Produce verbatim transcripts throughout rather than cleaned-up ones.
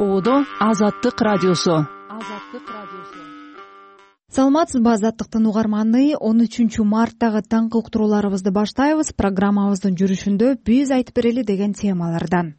Оодо Азаттык радиосу. Саламатсызбы, Азаттыктын угарманы? он үчүнчү марттагы таңкы уктурууларыбызды баштайбыз. Программабыздын жүрүшүндө биз айтып берели деген темалардан.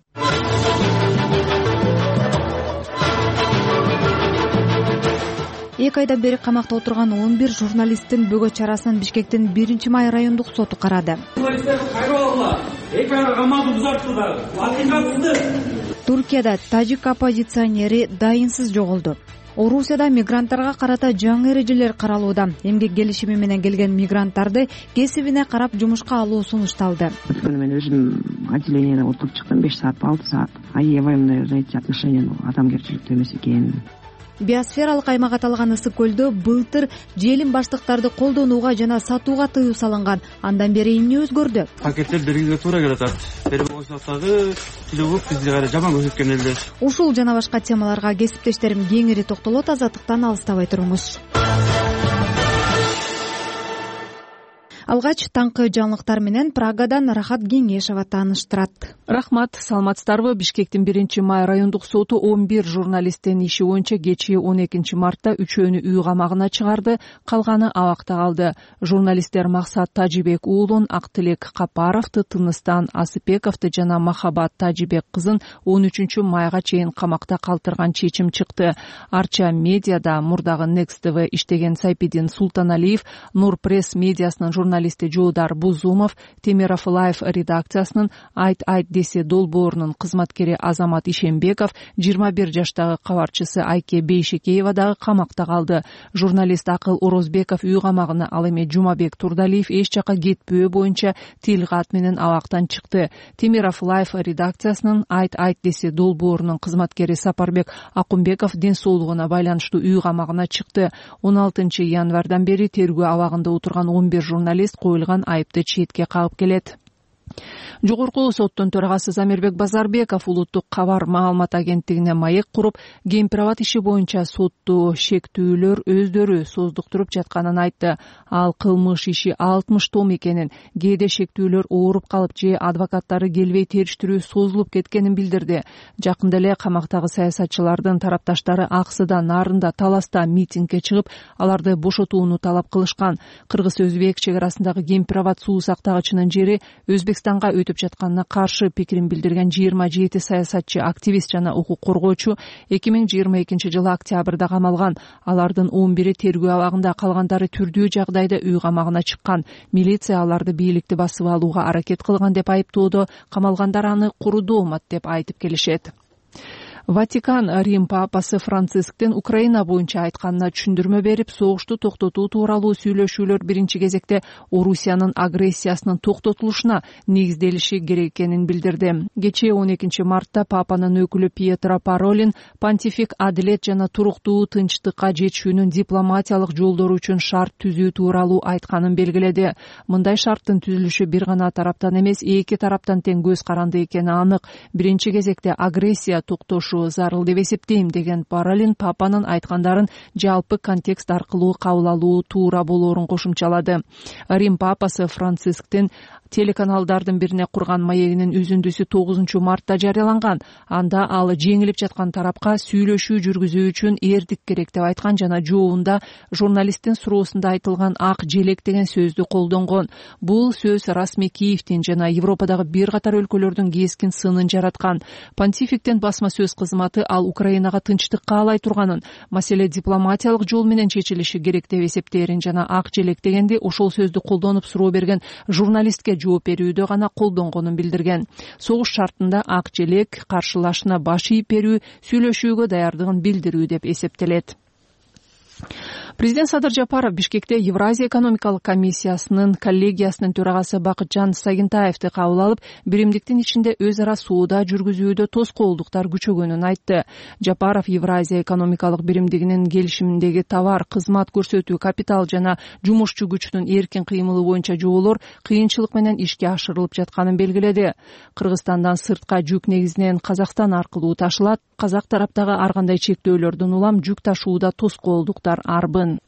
Эки айдан бери камакта отурган он бир журналисттин бөгөт чарасын Бишкектин биринчи май райондук соту карады. Журналисттерди кайрып эки айга камауды узартты дагы. Акыйкатсыздык. Туркияда тажик оппозиционери дайынсыз жоголду. Орусияда мигранттарга карата жаңы эрежелер каралууда. Эмгек келишими менен келген мигранттарды кесибине карап жумушка алуу сунушталды. Мен өзүм отделениеде отуруп чыктым беш саатпы алты саат. Аябай мындай эти отношения адамгерчиликтүү эмес экен. Биосфералык аймак аталган ысык көлдө былтыр желим баштыктарды колдонууга жана сатууга тыюу салынган. Андан бери эмне өзгөрдү? Пакеттер бергенге туура келатат. Бери болсоктагы тилүүк бизди кайра жаман көрсөткөн эле. Ушул жана башка темаларга кесиптештерим кеңири токтолот. Азаттыктан алыстабай туруңуз. Алгач таңкы жаңылыктар менен Прагадан Рахат Кеңешова тааныштырат. Рахмат, саламатсыздарбы? Бишкектин биринчи май райондук соту он бир журналисттин иши боюнча кечээ он экинчи мартта үчөөнү үй камагына чыгарды, калганы абакта калды. Журналисттер Максат Тажибек уулун, Актилек Капаровду, Тыныстан Асыпековду жана Махабат Тажибек кызын он үчүнчү майга чейин камакта калтырган чечим чыкты. Арча медиада мурдагы Next ти ви иштеген Сайпидин Султаналиев, Нур пресс медиасынын журналисти Жуудар Бузумов, Темиров Лайф редакциясынын Айт Айт десе долбоорунун кызматкери Азамат Ишембеков, жыйырма бир жаштагы кабарчысы Айке Бейшекеева дагы камакта калды. Журналист Акыл Орозбеков үй камагына, ал эми Жумабек Турдалиев эч жака кетпөө боюнча тил кат менен абактан чыкты. Темиров Лайф редакциясынын Айт Айт десе долбоорунун кызматкери Сапарбек Акумбеков ден соолугуна байланыштуу үй камагына чыкты. он алтынчы январдан бери тергөө абагында отурган он бир журналист коюлган айыпты четке кагып келет. Жогорку соттун төрагасы Замирбек Базарбеков улуттук кабар маалымат агенттигине маек куруп, Гемпирабад иши боюнча сотту шектүүлөр өздөрү создуктуруп жатканын айтты. Ал кылмыш иши алтымыш том экенин, кээде шектүүлөр ооруп калып же адвокаттары келбей териштирүү созулуп кеткенин билдирди. Жакында эле камактагы саясатчылардын тарапташтары Аксыда, Нарында, Таласта митингге чыгып, аларды бошотууну талап кылышкан. Кыргыз-Өзбек чек арасындагы Гемпирабад суу сактагычынын жери Өзбекстанга өтүп жатканына каршы пикирин билдирген жыйырма жети саясатчы, активист жана укук коргоочу эки миң жыйырма экинчи жылы октябрда камалган. Алардын он бири тергөө абагында, калгандары түрдүү жагдайда үй камагына чыккан. Милиция аларды бийликти басып алууга аракет кылган деп айыптоодо, камалгандар аны куру доомат деп айтып келишет. Ватикан Рим папасы Францисктин Украина боюнча айтканына түшүндүрмө берип, согушту токтотуу тууралуу сүйлөшүүлөр биринчи кезекте Орусиянын агрессиясынын токтотулушуна негизделиши керек экенин билдирди. Кечээ он экинчи мартта папанын өкүлү Пьетро Паролин понтифик адилет жана туруктуу тынчтыкка жетүүнүн дипломатиялык жолдору үчүн шарт түзүү тууралуу айтканын белгиледи. Мындай шарттын түзүлүшү бир гана тараптан эмес, эки тараптан тең көз каранды экени анык. Биринчи кезекте агрессия токтошу зарыл деп эсептейм деген Паролин папанын айткандарын жалпы контекст аркылуу кабыл алуу туура болоорун кошумчалады. Рим папасы Францисктин телеканалдардын бирине курган маегинин үзүндүсү тогузунчу мартта жарыяланган. Анда ал жеңилип жаткан тарапка сүйлөшүү жүргүзүү үчүн эрдик керек деп айткан жана жообунда журналисттин суроосунда айтылган ак желек деген сөздү колдонгон. Бул сөз расмий Киевдин жана Европадагы бир катар өлкөлөрдүн кескин сынын жараткан. Понтификтин басма сөз кызматы ал Украинага тынчтык каалай турганын, маселе дипломатиялык жол менен чечилиши керек деп эсептээрин жана ак желек дегенди ошол сөздү колдонуп суроо берген журналистке жооп берүүдө гана колдонгонун билдирген. Согуш шартында ак желек каршылашына баш ийип берүү, сүйлөшүүгө даярдыгын билдирүү деп эсептелет. Президент Садыр Жапаров Бишкекте Евразия экономикалык комиссиясынын коллегиясынын төрагасы Бакытжан Сагинтаевди кабыл алып, биримдиктин ичинде өз ара соода жүргүзүүдө тоскоолдуктар күчөгөнүн айтты. Жапаров Евразия экономикалык биримдигинин келишиминдеги товар, кызмат көрсөтүү, капитал жана жумушчу күчүнүн эркин кыймылы боюнча жоолор кыйынчылык менен ишке ашырылып жатканын белгиледи. Кыргызстандан сыртка жүк негизинен Казакстан аркылуу ташылат. Казак тараптагы ар кандай чектөөлөрдөн улам жүк ташууда тоскоолдуктар арбын.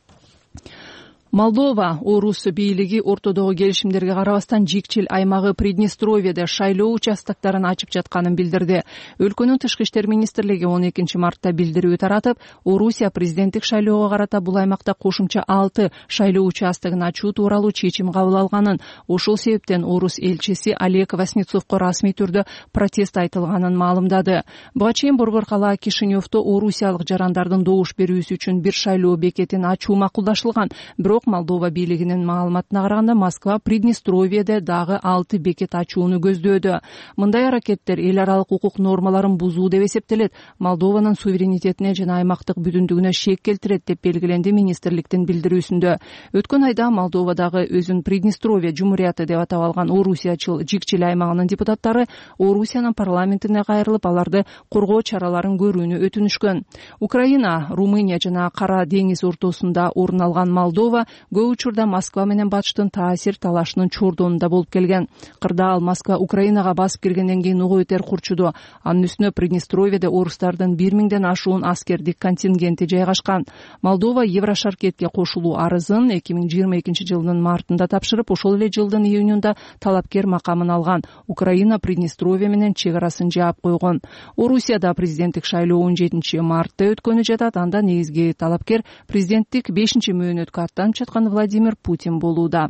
Молдова орус бийлиги ортодогу келишимдерге карабастан жикчил аймагы Приднестровьеде шайлоо участоктарын ачып жатканын билдирди. Өлкөнүн тышкы иштер министрлиги он экинчи мартта билдирүү таратып, Орусия президенттик шайлоого карата бул аймакта кошумча алты шайлоо участогун ачуу тууралуу чечим кабыл алганын, ошол себептен орус элчиси Олег Васнецовго расмий түрдө протест айтылганын маалымдады. Буга чейин Борбор калаа Кишиневдо орусиялык жарандардын добуш берүүсү үчүн бир шайлоо бекетин ачуу макулдашылган. Бирок Молдова бийлигинин маалыматына караганда Москва Приднестровьеде дагы алты бекет ачууну көздөөдө. Мындай аракеттер эл аралык укук нормаларын бузуу деп эсептелет, Молдованын суверенитетине жана аймактык бүтүндүгүнө шек келтирет деп белгиленди министрликтин билдирүүсүндө. Өткөн айда Молдовадагы өзүн Приднестровье Жумурияты деп атап алган орусиячыл жикчил аймагынын депутаттары Орусиянын парламентине кайрылып, аларды коргоо чараларын көрүүнү өтүнүшкөн. Украина, Румыния жана Кара деңиз ортосунда орун алган Молдова көп учурда Москва менен батыштын таасир талашынын чордонунда болуп келген. Кырдаал Москва Украинага басып киргенден кийин угу өтер курчуду. Анын үстүнө Приднестровьеде орустардын бир миңден ашуун аскердик контингенти жайгашкан. Молдова Еврошаркетке кошулуу арызын эки миң жыйырма экинчи жылдын мартында тапшырып, ошол эле жылдын июнунда талапкер макамын алган. Украина Приднестровье менен чек арасын жаап койгон. Орусияда президенттик шайлоо он жетинчи мартта өткөнү жатат. Анда негизги талапкер президенттик бешинчи мөөнөткө аттанып жаткан Владимир Путин болууда.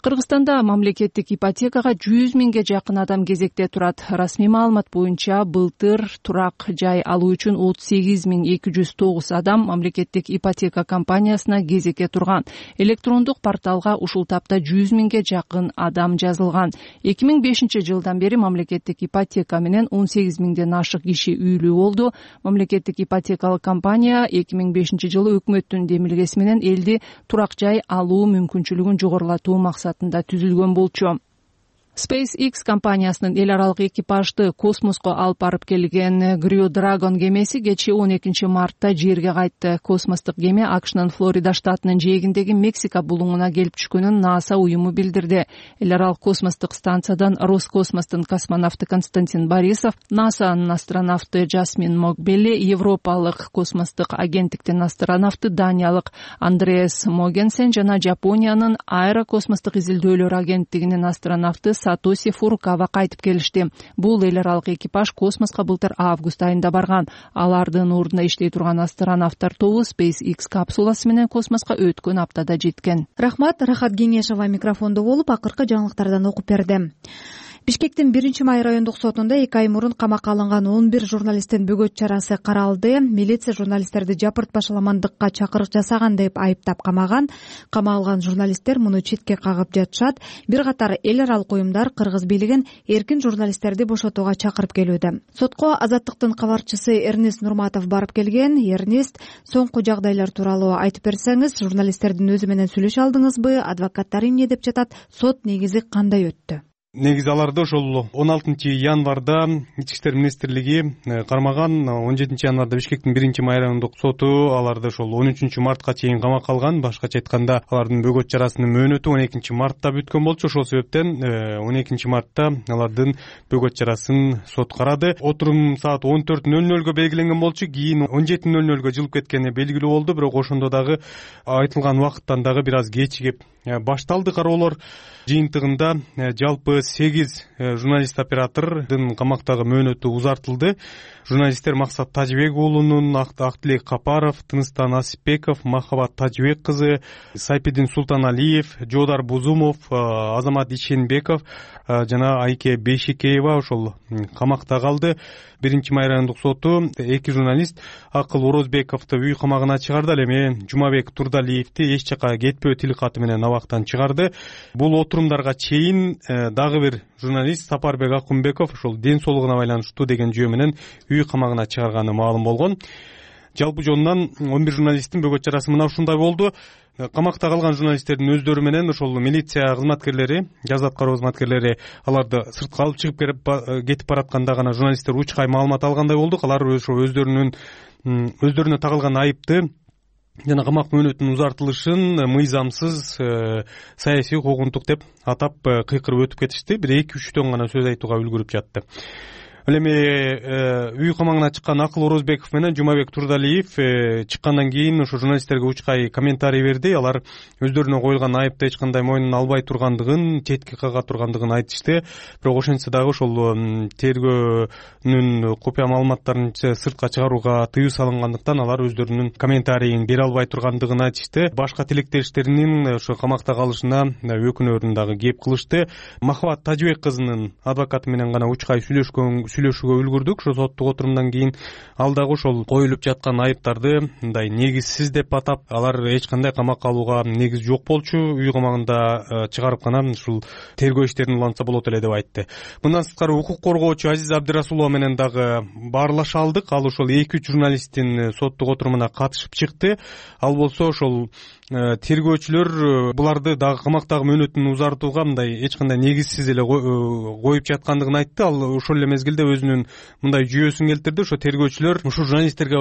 Кыргызстанда мамлекеттик ипотекага жүз миңге жакын адам кезекте турат. Расмий маалымат боюнча былтыр турак жай алуу үчүн отуз сегиз миң эки жүз тогуз адам мамлекеттик ипотека компаниясына кезекке турган. Электрондук порталга ушул тапта жүз миңге жакын адам жазылган. эки миң бешинчи жылдан бери мамлекеттик ипотека менен он сегиз миңден ашык киши үйлүү болду. Мамлекеттик ипотекалык компания эки миң бешинчи жылы өкмөттүн демилгеси менен элди турак жай алуу мүмкүнчүлүгүн жогорулатуу максатында түзүлгөн болчу. SpaceX компаниясынын эл аралык экипажды космоско алып барып келген Crew Dragon кемеси кечээ он экинчи мартта жерге кайтты. Космостук кеме АКШнын Флорида штатынын жээгиндеги Мексика булуңуна келип түшкөнүн НАСА уюму билдирди. Эл аралык космостук станциядан Роскосмостун космонавту Константин Борисов, НАСАнын астронавты Жасмин Мокбелли, Европалык космостук агенттиктин астронавты Даниялык Андреас Могенсен жана Жапониянын аэрокосмостук изилдөөлөр агенттигинин астронавты Сатоси Фурукава кайтып келишти. Бул эл аралык экипаж космоско былтыр август айында барган. Алардын ордуна иштей турган астронавттар тобу SpaceX капсуласы менен космоско өткөн аптада жеткен. Рахмат, Рахат Кеңешова микрофондо болуп акыркы жаңылыктардан окуп берди. Бишкектин биринчи май райондук сотунда эки ай мурун камакка алынган он бир журналисттин бөгөт чарасы каралды. Милиция журналисттерди жапырт-башаламандыкка чакырык жасаган деп айыптап камаган. Камалган журналисттер муну четке кагып жатышат. Бир катар эл аралык уюмдар кыргыз бийлигин эркин журналисттерди бошотууга чакырып келүүдө. Сотко Азаттыктын кабарчысы Эрнест Нурматов барып келген. Эрнест, соңку жагдайлар тууралуу айтып берсеңиз, журналисттердин өзү менен сүйлөшө алдыңызбы? Адвокаттар эмне деп жатат? Сот негизи кандай өттү? Негизи аларды ошол он алтынчы январда Ички иштер министрлиги кармаган. он жетинчи январда Бишкектин биринчи май райондук соту аларды ошол он үчүнчү мартка чейин камакка алган. Башкача айтканда, алардын бөгөт чарасынын мөөнөтү он экинчи мартта бүткөн болчу. Ошол себептен он экинчи мартта алардын бөгөт чарасын сот карады. Отурум саат он төрт нөл нөлгө белгиленген болчу. Кийин он жети нөл нөлгө жылып кеткени белгилүү болду. Бирок ошондо дагы айтылган убакыттан дагы бир аз кечигип башталды кароолор. Жыйынтыгында жалпы сегиз журналист оператордун камактагы мөөнөтү узартылды. Журналисттер Максат Тажибек уулунун, Актилек Капаров, Тыныстан Асипбеков, Махабат Тажибек кызы, Сайпидин Султаналиев, Жодар Бузумов, Азамат Ишенбеков жана Айке Бейшикеева ошол камакта калды. Биринчи май райондук соту эки журналист Акыл Орозбековду үй камагына чыгарды, ал эми Жумабек Турдалиевди эч жака кетпөө тил каты менен абактан чыгарды. Бул отурумдарга чейин дагы бир журналист Сапарбек Акунбеков ошол ден соолугуна байланыштуу деген жөө менен үй камагына чыгарганы маалым болгон. Жалпы жонунан он бир журналисттин бөгөт чарасы мына ушундай болду. Камакта калган журналисттердин өздөрү менен ошол милиция кызматкерлери, жаза аткаруу кызматкерлери аларды сыртка алып чыгып кетип баратканда гана журналисттер учкай маалымат алгандай болдук. Алар өздөрүнүн өздөрүнө тагылган айыпты жана камак мөөнөтүнүн узартылышын мыйзамсыз, саясий, куугунтук деп атап кыйкырып өтүп кетишти. Бир эки үчтөн гана сөз айтууга үлгүрүп жатты. Ал эми үй камагына чыккан Акыл Орозбеков менен Жумабек Турдалиев чыккандан кийин ошо журналисттерге учкай комментарий берди. Алар өздөрүнө коюлган айыпты эч кандай мойнун албай тургандыгын, четке кага тургандыгын айтышты. Бирок ошентсе дагы ошол тергөөнүн купуя маалыматтарын сыртка чыгарууга тыюу салынгандыктан алар өздөрүнүн комментарийин бере албай тургандыгын айтышты. Башка тилектештеринин ошо камакта калышына өкүнөрүн дагы кеп кылышты. Махабат Тажыбек кызынын адвокаты менен гана учкай сүйлөшкөн сүйлөшүүгө үлгүрдүк. Ошо соттук отурумдан кийин ал дагы ошол коюлуп жаткан айыптарды мындай негизсиз деп атап, алар эч кандай камакка алууга негиз жок болчу, үй камагында чыгарып гана ушул тергөө иштерин улантса болот эле деп айтты. Мындан сырткары укук коргоочу Азиза Абдырасулова менен дагы баарлаша алдык. Ал ошол эки үч журналисттин соттук отурумуна катышып чыкты. Ал болсо ошол тергөөчүлөр буларды дагы камактагы мөөнөтүн узартууга мындай эч кандай негизсиз эле коюп жаткандыгын айтты. Ал ошол эле мезгилде өзүнүн мындай жүйөсүн келтирди. Ошо тергөөчүлөр ушул журналисттерге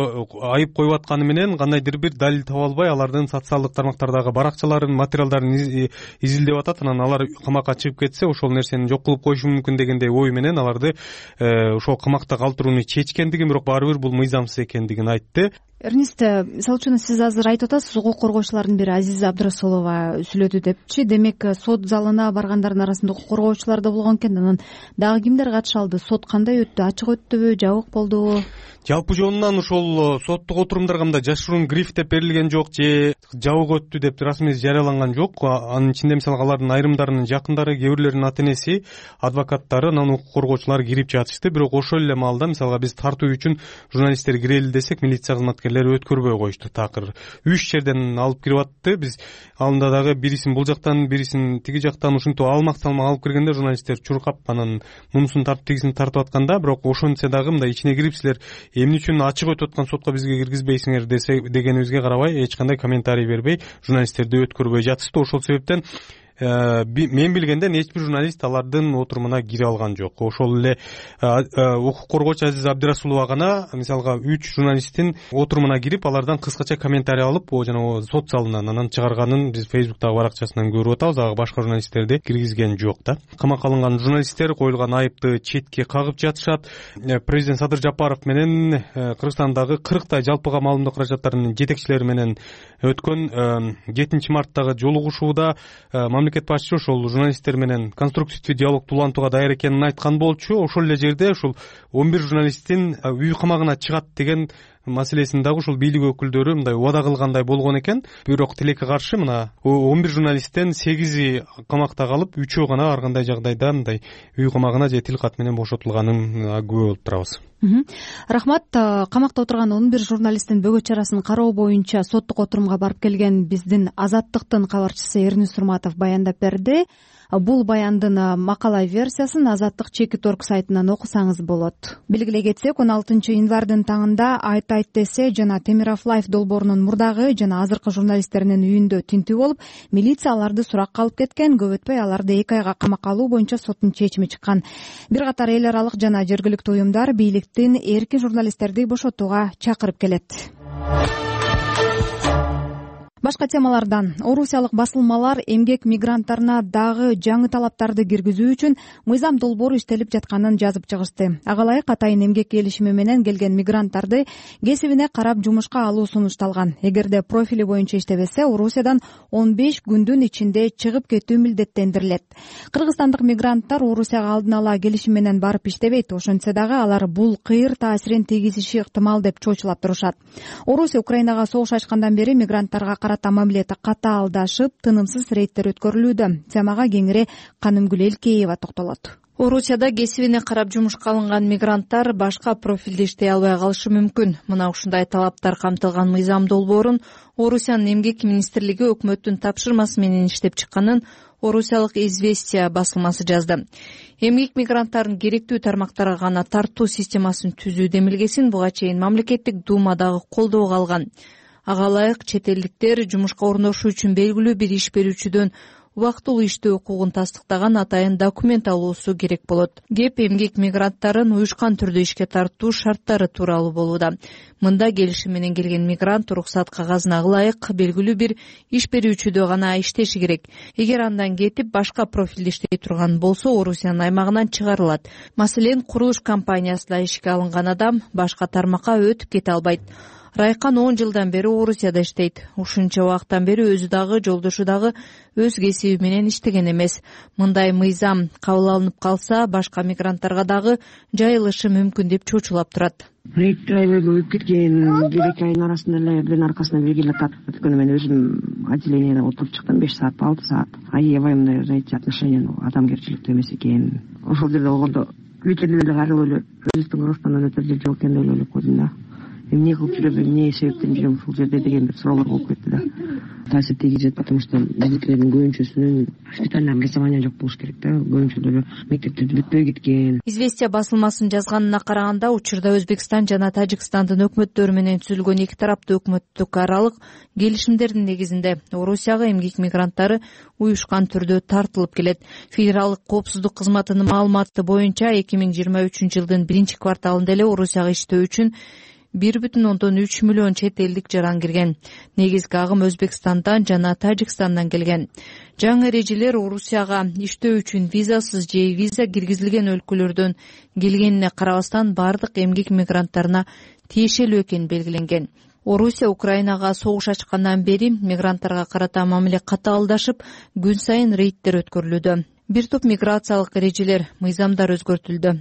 айып коюп атканы менен кандайдыр бир далил таба албай, алардын социалдык тармактардагы баракчаларын, материалдарын изилдеп атат. Анан алар камакка чыгып кетсе, ошол нерсени жок кылып коюшу мүмкүн дегендей ой менен аларды ошол камакта калтырууну чечкендигин, бирок баары бир бул мыйзамсыз экендигин айтты. Эрнест, мисалы үчүн сиз азыр айтып атасыз, укук коргоочулардын бири Азиза Абдырасулова сүйлөдү депчи. Демек, сот залына баргандардын арасында укук коргоочулар да болгон экен. Анан дагы кимдер катыша алды? Сот кандай өттү? Ачык өттүбү, жабык болдубу? Жалпы жонунан ошол соттук отурумдарга мындай жашыруун гриф деп берилген жок, же жабык өттү деп расмий жарыяланган жок. Анын ичинде мисалы алардын айрымдарынын жакындары, кээ бирлеринин ата энеси, адвокаттары, анан укук коргоочулар кирип жатышты. Бирок ошол эле маалда мисалга биз тартуу үчүн журналисттер кирели десек, милиция кызматкерлери өткөрбөй коюшту. Такыр үч жерден алып кирип атты. Биз алында дагы бирисин бул жактан, бирисин тиги жактан ушинтип алмак салмак алып киргенде журналисттер чуркап анан мунусун тартып тигисин тартып атканда, бирок ошентсе дагы мындай ичине кирип силер эмне үчүн ачык өтүп аткан сотко бизге киргизбейсиңер десе дегенибизге карабай эч кандай комментарий бербей журналисттерди өткөрбөй жатышты. Ошол себептен мен билгенден эч бир журналист алардын отурумуна кире алган жок. Ошол эле укук коргоочу Азиза Абдырасулова гана мисалга үч журналисттин отурумуна кирип, алардан кыскача комментарий алып, жана сот залынан анан чыгарганын биз Facebook'тагы баракчасынан көрүп атабыз. Ага башка журналисттерди киргизген жок да. Камакка алынган журналисттер коюлган айыпты четке кагып жатышат. Президент Садыр Жапаров менен Кыргызстандагы кырктай жалпыга маалымдоо каражаттарынын жетекчилери менен өткөн жетинчи марттагы жолугушууда мамлекет башчы ошол журналисттер менен конструктивдүү диалогду улантууга даяр экенин айткан болчу. Ошол эле жерде ушул он бир журналисттин үй камагына чыгат деген маселесин дагы ушул бийлик өкүлдөрү мындай убада кылгандай болгон экен. Бирок тилекке каршы мына он бир журналисттен сегизи камакта калып, үчөө гана ар кандай жагдайда мындай үй камагына же тил кат менен бошотулганын күбө болуп турабыз. Рахмат. Камакта отурган он бир журналисттин бөгөт чарасын кароо боюнча соттук отурумга барып келген биздин Азаттыктын кабарчысы Эрнест Сурматов баяндап берди. Бул баяндын макала версиясын Азаттык чекит орг сайтынан окусаңыз болот. Белгилей кетсек, он алтынчы январдын таңында Айт айт десе жана Темиров Лайф долбоорунун мурдагы жана азыркы журналисттеринин үйүндө тинтүү болуп, милиция аларды суракка алып кеткен. Көп өтпөй аларды эки айга камакка алуу боюнча соттун чечими чыккан. Бир катар эл аралык жана жергиликтүү уюмдар бийликтин эркин журналисттерди бошотууга чакырып келет. Башка темалардан орусиялык басылмалар эмгек мигранттарына дагы жаңы талаптарды киргизүү үчүн мыйзам долбоору иштелип жатканын жазып чыгышты. Ага ылайык атайын эмгек келишими менен келген мигранттарды кесибине карап жумушка алуу сунушталган. Эгерде профили боюнча иштебесе, Орусиядан он беш күндүн ичинде чыгып кетүү милдеттендирилет. Кыргызстандык мигранттар Орусияга алдын ала келишим менен барып иштебейт. Ошентсе дагы алар бул кыйыр таасирин тийгизиши ыктымал деп чоочулап турушат. Орусия Украинага согуш ачкандан бери мигранттарга карата мамилети катаалдашып, тынымсыз рейдтер өткөрүлүүдө. Темага кеңири Канымгүл Элкеева токтолот. Орусияда кесибине карап жумушка алынган мигранттар башка профилде иштей албай калышы мүмкүн. Мына ушундай талаптар камтылган мыйзам долбоорун Орусиянын эмгек министрлиги өкмөттүн тапшырмасы менен иштеп чыкканын орусиялык «Известия» басылмасы жазды. Эмгек мигранттардын керектүү тармактарга гана тартуу системасын түзүү демилгесин буга чейин мамлекеттик думадагы колдоого алган. Ага ылайык чет элдиктер жумушка орношуу үчүн белгилүү бир иш берүүчүдөн убактылуу иштөө укугун тастыктаган атайын документ алуусу керек болот. Кеп эмгек мигранттарын уюшкан түрдө ишке тартуу шарттары тууралуу болууда. Мында келишим менен келген мигрант уруксат кагазына ылайык белгилүү бир иш берүүчүдө гана иштеши керек. Эгер андан кетип башка профилде иштей турган болсо, Орусиянын аймагынан чыгарылат. Маселен, курулуш компаниясында ишке алынган адам башка тармакка өтүп кете албайт. Райкан он жылдан бери Орусияда иштейт. Ушунча убакыттан бери өзү дагы, жолдошу дагы өз кесиби менен иштеген эмес. Мындай мыйзам кабыл алынып калса, башка мигранттарга дагы жайылышы мүмкүн деп чочулап турат. Рейд аябай көбөйүп кеткен. Бир эки айдын арасында эле биринин аркасына бири келип атат. Өткөндө мен өзүм отделениеде отуруп чыктым беш саат, алты саат. Аябай мындай, знаете, отношение адамгерчиликтүү эмес экен. Ошол жерде болгондо вечерде эле карап эле өзүбүздүн Кыргызстандан өтөр жер жок экен деп ойлоп койдум да. Эмне кылып жүрөм, эмне себептен жүрөм ушул жерде деген бир суроолор болуп кетти да. Таасир тийгизет, потому что биздикилердин көбүнчөсүнүн специальный образование жок болуш керек да. Көбүнчөлөрү мектептерди бүтпөй кеткен. Известия басылмасынын жазганына караганда, учурда Өзбекстан жана Тажикстандын өкмөттөрү менен түзүлгөн эки тараптуу өкмөттүк аралык келишимдердин негизинде Орусияга эмгек мигранттары уюшкан түрдө тартылып келет. Федералдык коопсуздук кызматынын маалыматы боюнча эки миң жыйырма үчүнчү жылдын биринчи кварталында эле Орусияга иштөө үчүн бир бүтүн ондон үч миллион чет элдик жаран кирген. Негизги агым Өзбекстандан жана Тажикстандан келген. Жаңы эрежелер Орусияга иштөө үчүн визасыз же виза киргизилген өлкөлөрдөн келгенине карабастан бардык эмгек мигранттарына тиешелүү экени белгиленген. Орусия Украинага согуш ачкандан бери мигранттарга карата мамиле катаалдашып, күн сайын рейдтер өткөрүлүүдө. Бир топ миграциялык эрежелер, мыйзамдар өзгөртүлдү.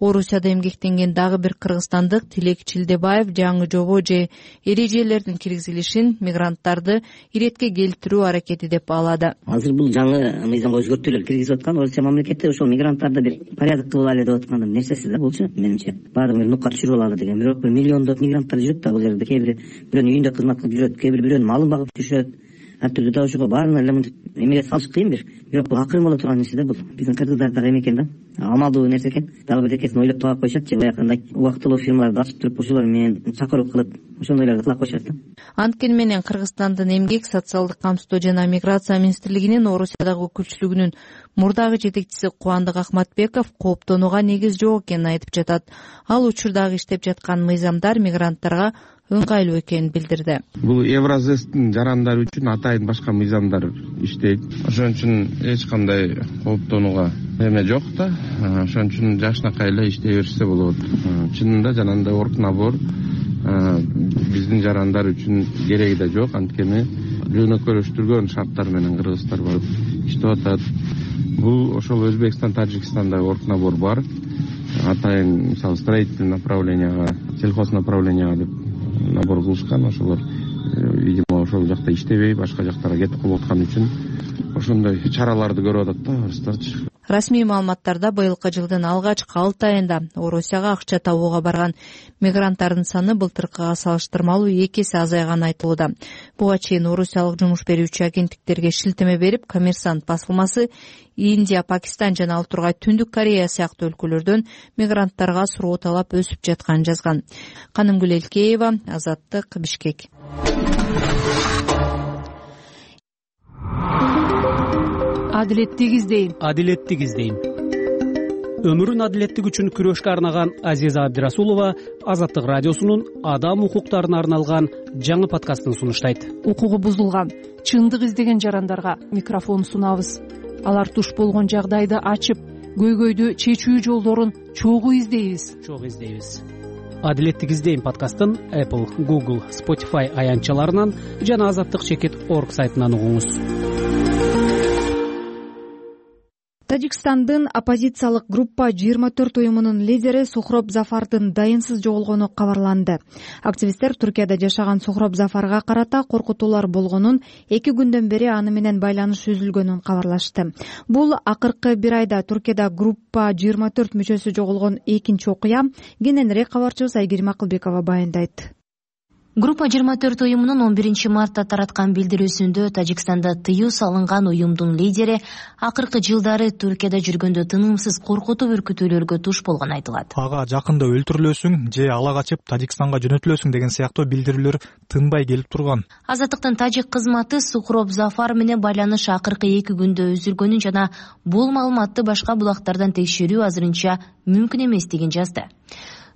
Орусияда эмгектенген дагы бир кыргызстандык Тилек Чилдебаев жаңы жобо же эрежелердин киргизилишин мигранттарды иретке келтирүү аракети деп баалады. Азыр бул жаңы мыйзамга өзгөртүүлөр киргизип аткан Орусия мамлекети ошол мигранттарды бир порядок кылып алайлы деп аткан нерсеси да булчу, менимче. Баардыгын бир нукка түшүрүп алалы деген. Бирок бир миллиондоп мигранттар жүрөт да бул жерде. Кээ бири бирөөнүн үйүндө кызмат кылып жүрөт, кээ бири бирөөнүн малын багып жүрөт. Ар түрдүү да ошого баарына эле эмеге салыш кыйын бир. Бирок бул акырын боло турган нерсе да бул. Биздин кыргыздарда эме экен да. Амалдуу нерсе экен. Дагы бир экесин ойлоп таап коюшат же баягындай убактылуу фирмаларды ачып туруп ошолор менен чакыруу кылып ошондойлорду кыла коюшат да. Анткени менен Кыргызстандын эмгек, социалдык камсыздоо жана миграция министрлигинин Орусиядагы өкүлчүлүгүнүн мурдагы жетекчиси Кубандык Ахматбеков кооптонууга негиз жок экенин айтып жатат. Ал учурдагы иштеп жаткан мыйзамдар мигранттарга ыңгайлуу экенин билдирди. Бул Евразестин жарандары үчүн атайын башка мыйзамдар иштейт. Ошон үчүн эч кандай кооптонууга эме жок да. Ошон үчүн жакшынакай эле иштей берсе болот. Чынында жанагындай оргнабор биздин жарандар үчүн кереги да жок. Анткени жөнөкөйлөштүргөн шарттар менен кыргыздар барып иштеп атат. Бул ошол Өзбекстан, Тажикстанда оргнабор бар. Атайын мисалы строительный направленияга, сельхоз направленияга деп набор кылышкан. Ошолор видимо ошол жакта иштебей башка жактарга кетип калып аткан үчүн ошондой чараларды көрүп атат да орустарчы. Расмий маалыматтарда быйылкы жылдын алгачкы алты айында Орусияга акча табууга барган мигранттардын саны былтыркыга салыштырмалуу эки эсе азайганы айтылууда. Буга чейин орусиялык жумуш берүүчү агенттиктерге шилтеме берип, Коммерсант басылмасы Индия, Пакистан жана ал тургай Түндүк Корея сыяктуу өлкөлөрдөн мигранттарга суроо талап өсүп жатканын жазган. Канымгүл Элкеева, Азаттык, Бишкек. Адилеттик издейм. Адилеттик издейм. Өмүрүн адилеттик үчүн күрөшкө арнаган Азиза Абдирасулова Азаттык радиосунун адам укуктарына арналган жаңы подкастын сунуштайт. Укугу бузулган, чындык издеген жарандарга микрофон сунабыз. Алар туш болгон жагдайды ачып, көйгөйдү чечүү жолдорун чогуу издейбиз. Чогуу издейбиз. Адилеттик издейм подкастын Apple, Google, Spotify аянтчаларынан жана азаттык чекит точка орг сайтынан угуңуз. Тажикстандын оппозициялык группа жыйырма төрт уюмунун лидери Сухроб Зафардын дайынсыз жоголгону кабарланды. Активисттер Туркияда жашаган Сухроб Зафарга карата коркутуулар болгонун, эки күндөн бери аны менен байланыш үзүлгөнүн кабарлашты. Бул акыркы бир айда Туркияда группа жыйырма төрт мүчөсү жоголгон экинчи окуя. Кененирээк кабарчыбыз Айгерим Акылбекова баяндайт. Группа жыйырма төрт уюмунун он биринчи мартта тараткан билдирүүсүндө Тажикстанда тыюу салынган уюмдун лидери акыркы жылдары Түркияда жүргөндө тынымсыз коркутуу үркүтүүлөргө туш болгону айтылат. Ага жакында өлтүрүлөсүң же ала качып Тажикстанга жөнөтүлөсүң деген сыяктуу билдирүүлөр тынбай келип турган. Азаттыктын тажик кызматы Сухроб Зафар менен байланыш акыркы эки күндө үзүлгөнүн жана бул маалыматты башка булактардан текшерүү азырынча мүмкүн эместигин жазды.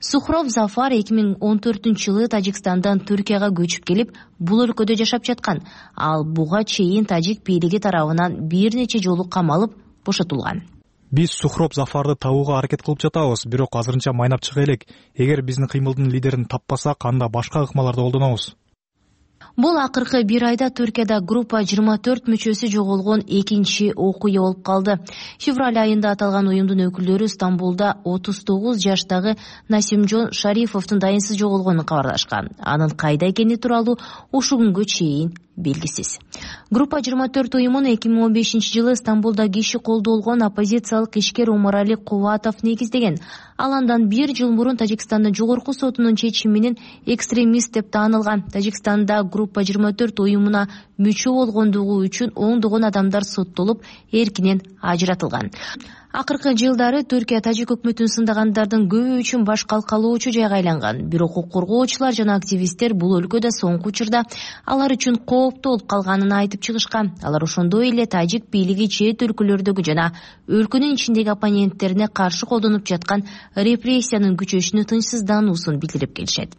Сухроб Зафар эки миң он төртүнчү жылы Тажикстандан Түркияга көчүп келип, бул өлкөдө жашап жаткан. Ал буга чейин тажик бийлиги тарабынан бир нече жолу камалып, бошотулган. Биз Сухроб Зафарды табууга аракет кылып жатабыз, бирок азырынча майнап чыга элек. Эгер биздин кыймылдын лидерин таппасак, анда башка ыкмаларды колдонобуз. Бул акыркы бир айда Түркияда группа жыйырма төрт мүчөсү жоголгон экинчи окуя болуп калды. Февраль айында аталган уюмдун өкүлдөрү Стамбулда отуз тогуз жаштагы Насимжон Шарифовдун дайынсыз жоголгонун кабарлашкан. Анын кайда экени тууралуу ушул күнгө чейин белгисиз. Группа жыйырма төрт уюмун эки миң он бешинчи жылы Стамбулда киши колдолгон оппозициялык ишкер Умарали Кубатов негиздеген. Ал андан бир жыл мурун Тажикстандын жогорку сотунун чечими менен экстремист деп таанылган. Тажикстанда группа жыйырма төрт уюмуна мүчө болгондугу үчүн ондогон адамдар соттолуп, эркинен ажыратылган. Акыркы жылдары Түркия тажик өкмөтүн сындагандардын көбү үчүн баш калкалоочу жайга айланган. Бирок укук коргоочулар жана активисттер бул өлкөдө соңку учурда алар үчүн кооптуу болуп калганын айтып чыгышкан. Алар ошондой эле тажик бийлиги чет өлкөлөрдөгү жана өлкөнүн ичиндеги оппоненттерине каршы колдонуп жаткан репрессиянын күчөшүнө тынчсыздануусун билдирип келишет.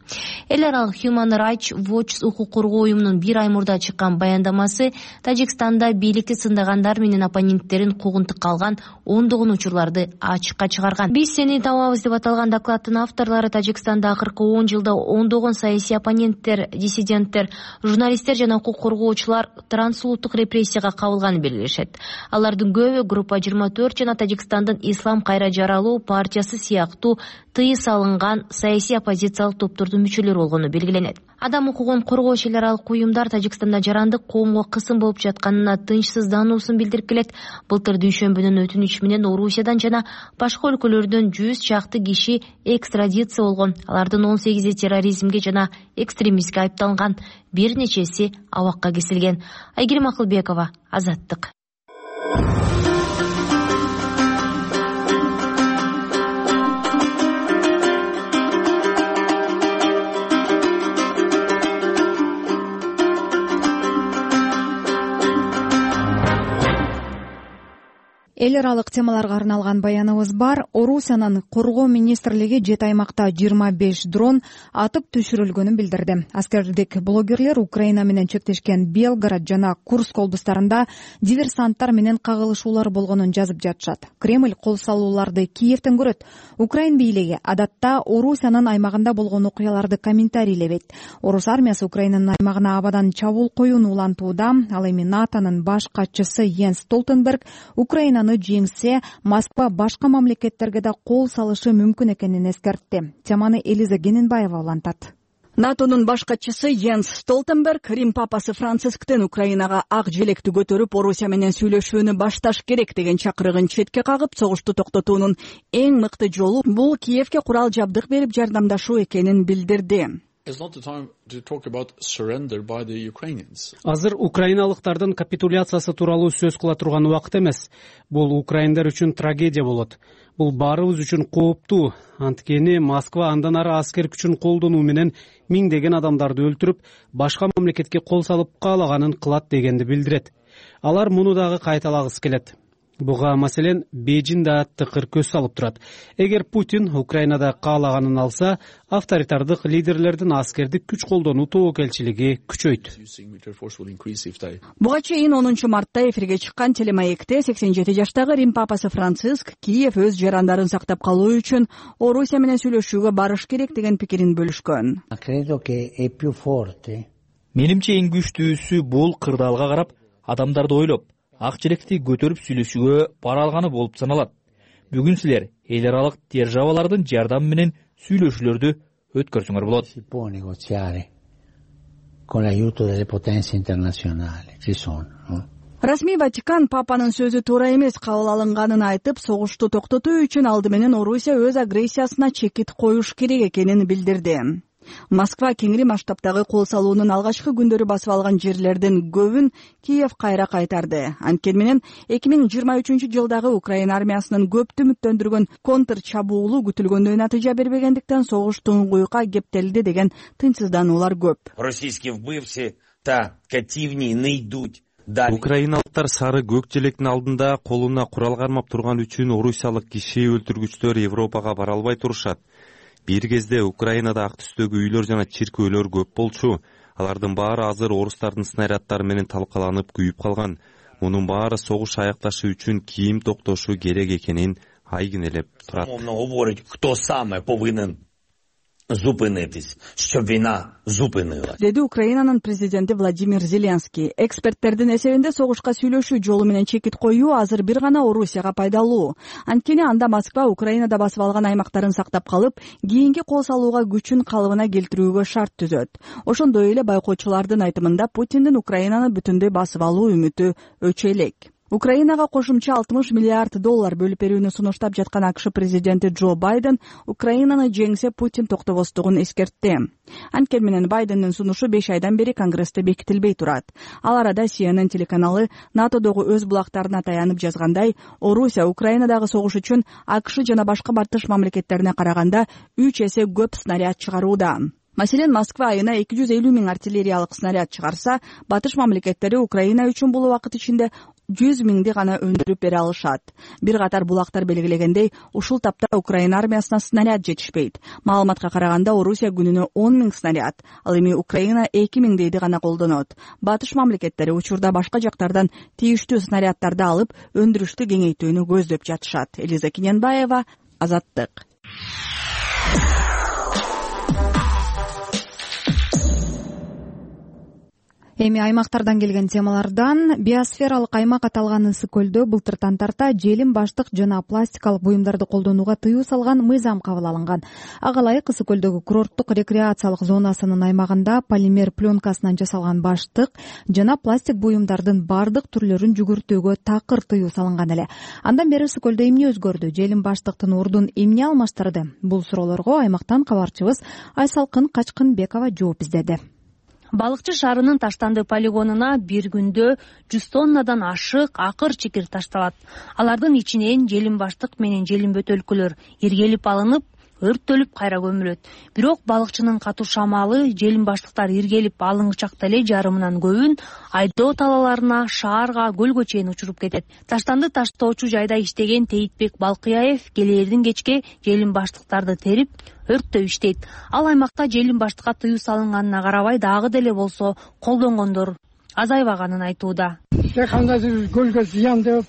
Эл аралык Human Rights Watch укук коргоо уюмунун бир ай мурда чыккан баяндамасы Тажикстанда бийликти сындагандар менен оппоненттерин куугунтукка алган ондогон учурларды ачыкка чыгарган. Биз сени табабыз деп аталган докладтын авторлору Тажикстанда акыркы он жылда ондогон саясий оппоненттер, диссиденттер, журналисттер жана укук коргоочулар трансулуттук репрессияга кабылганын белгилешет. Алардын көбү группа жыйырма төрт жана Тажикстандын Ислам кайра жаралуу партиясы сыяктуу тыюу салынган саясий оппозициялык топтордун мүчөлөрү болгону белгиленет. Адам укугун коргоочу эл аралык уюмдар Тажикстанда жарандык коомго кысым болуп жатканына тынчсыздануусун билдирип келет. Былтыр дүйшөмбүнүн өтүнүчү менен Орусиядан жана башка өлкөлөрдөн жүз чакты киши экстрадиция болгон. Алардын он сегизи терроризмге жана экстремистке айыпталган, бир нечеси абакка кесилген. Айгерим Акылбекова, Азаттык. Эл аралык темаларга арналган баяныбыз бар. Орусиянын коргоо министрлиги жети аймакта жыйырма беш дрон атып түшүрүлгөнүн билдирди. Аскердик блогерлер Украина менен чектешкен Белгород жана Курск облустарында диверсанттар менен кагылышуулар болгонун жазып жатышат. Кремль кол салууларды Киевден көрөт. Украин бийлиги адатта Орусиянын аймагында болгон окуяларды комментарийлебейт. Орус армиясы Украинанын аймагына абадан чабуул коюуну улантууда. Ал эми НАТОнун баш катчысы Йенс Столтенберг Украинаны жеңсе, Москва башка мамлекеттерге да кол салышы мүмкүн экенин эскертти. Теманы Элиза Гененбаева улантат. НАТОнун баш катчысы Йенс Столтенберг Рим папасы Францисктен Украинага ак желекти көтөрүп, Орусия менен сүйлөшүүнү башташ керек деген чакырыгын четке кагып, согушту токтотуунун эң мыкты жолу бул Киевге курал жабдык берип жардамдашуу экенин билдирди. Азыр украиналыктардын капитуляциясы тууралуу сөз кыла турган убакыт эмес. Бул украиндар үчүн трагедия болот. Бул баарыбыз үчүн кооптуу. Анткени Москва андан ары аскер күчүн колдонуу менен миңдеген адамдарды өлтүрүп, башка мамлекетке кол салып каалаганын кылат дегенди билдирет. Алар муну дагы кайталагысы келет. Буга маселен Бейжин да тыкыр көз салып турат. Эгер Путин Украинада каалаганын алса, авторитардык лидерлердин аскердик күч колдонуу тобокелчилиги күчөйт. Буга чейин онунчу мартта эфирге чыккан телемаекте сексен жети жаштагы Рим папасы Франциск Киев өз жарандарын сактап калуу үчүн Орусия менен сүйлөшүүгө барыш керек деген пикирин бөлүшкөн. Менимче эң күчтүүсү бул кырдаалга карап, адамдарды ойлоп, ак желекти көтөрүп сүйлөшүүгө бара алганы болуп саналат. Бүгүн силер эл аралык державалардын жардамы менен сүйлөшүүлөрдү өткөрсөңөр болот. Расмий Ватикан папанын сөзү туура эмес кабыл алынганын айтып, согушту токтотуу үчүн алды менен Орусия өз агрессиясына чекит коюш керек экенин билдирди. Москва кеңири масштабтагы кол салуунун алгачкы күндөрү басып алган жерлердин көбүн Киев кайра кайтарды. Анткени менен эки миң жыйырма үчүнчү жылдагы Украина армиясынын көптү үмүттөндүргөн контр чабуулу күтүлгөндөй натыйжа бербегендиктен согуш туңгуюкка кептелди деген тынчсыздануулар көп. Российские вбывшие та кативни найдут. Украиналыктар сары көк желектин алдында колуна курал кармап турган үчүн орусиялык киши өлтүргүчтөр Европага бара албай турушат. Бир кезде Украинада ак түстөгү үйлөр жана чиркөөлөр көп болчу. Алардын баары азыр орустардын снаряддары менен талкаланып күйүп калган. Мунун баары согуш аякташы үчүн кийим токтошу керек экенин айгинелеп турат. Кто самый повинен зупинитись, щоб війна зупинилась, деди Украинанын президенти Владимир Зеленский. Эксперттердин эсебинде согушка сүйлөшүү жолу менен чекит коюу азыр бир гана Орусияга пайдалуу. Анткени анда Москва Украинада басып алган аймактарын сактап калып, кийинки кол салууга күчүн калыбына келтирүүгө шарт түзөт. Ошондой эле байкоочулардын айтымында Путиндин Украинаны бүтүндөй басып алуу үмүтү өчө элек. Украинага кошумча алтымыш миллиард доллар бөлүп берүүнү сунуштап жаткан АКШ президенти Джо Байден Украинаны жеңсе Путин токтобостугун эскертти. Анткени менен Байдендин сунушу беш айдан бери Конгрессте бекитилбей турат. Ал арада Си Эн Эн телеканалы НАТОдогу өз булактарына таянып жазгандай, Орусия Украинадагы согуш үчүн АКШ жана башка батыш мамлекеттерине караганда үч эсе көп снаряд чыгарууда. Маселен, Москва айына эки жүз элүү миң артиллериялык снаряд чыгарса, батыш мамлекеттери Украина үчүн бул убакыт ичинде жүз миңди гана өндүрүп бере алышат. Бир катар булактар белгилегендей, ушул тапта Украина армиясына снаряд жетишпейт. Маалыматка караганда, Орусия күнүнө он миң снаряд, ал эми Украина эки миңдейди гана колдонот. Батыш мамлекеттери учурда башка жактардан тийиштүү снаряддарды алып, өндүрүштү кеңейтүүнү көздөп жатышат. Элиза Киненбаева, Азаттык. Эми аймактардан келген темалардан биосфералык аймак аталган ысык көлдө былтыр тантарта желим баштык жана пластикалык буюмдарды колдонууга тыюу салган мыйзам кабыл алынган. Ага ылайык ысык көлдөгү курорттук рекреациялык зонасынын аймагында полимер пленкасынан жасалган баштык жана пластик буюмдардын бардык түрлөрүн жүгүртүүгө такыр тыюу салынган эле. Андан бери ысык көлдө эмне өзгөрдү? Желим баштыктын ордун эмне алмаштырды? Бул суроолорго аймактан кабарчыбыз Айсалкын Качкынбекова жооп издеди. Балыкчы шаарынын Таштанды полигонуна бир күндө жүз тоннадан ашык акыр чекир ташталат. Алардын ичинен желим баштык менен желим бөтөлкөлөр иргелип алынып, өрттөлүп кайра көмүлөт. Бирок балыкчынын катуу шамалы желим баштыктар иргелип алынгычакта эле жарымынан көбүн айдоо талаларына, шаарга, көлгө чейин учуруп кетет. Таштанды таштоочу жайда иштеген Тейитбек Балкыяев келээрдин кечке желим баштыктарды терип өрттөп иштейт. Ал аймакта желим баштыкка тыюу салынганына карабай дагы деле болсо колдонгондор азайбаганын айтууда. Кандайдыр көлгө зыян деп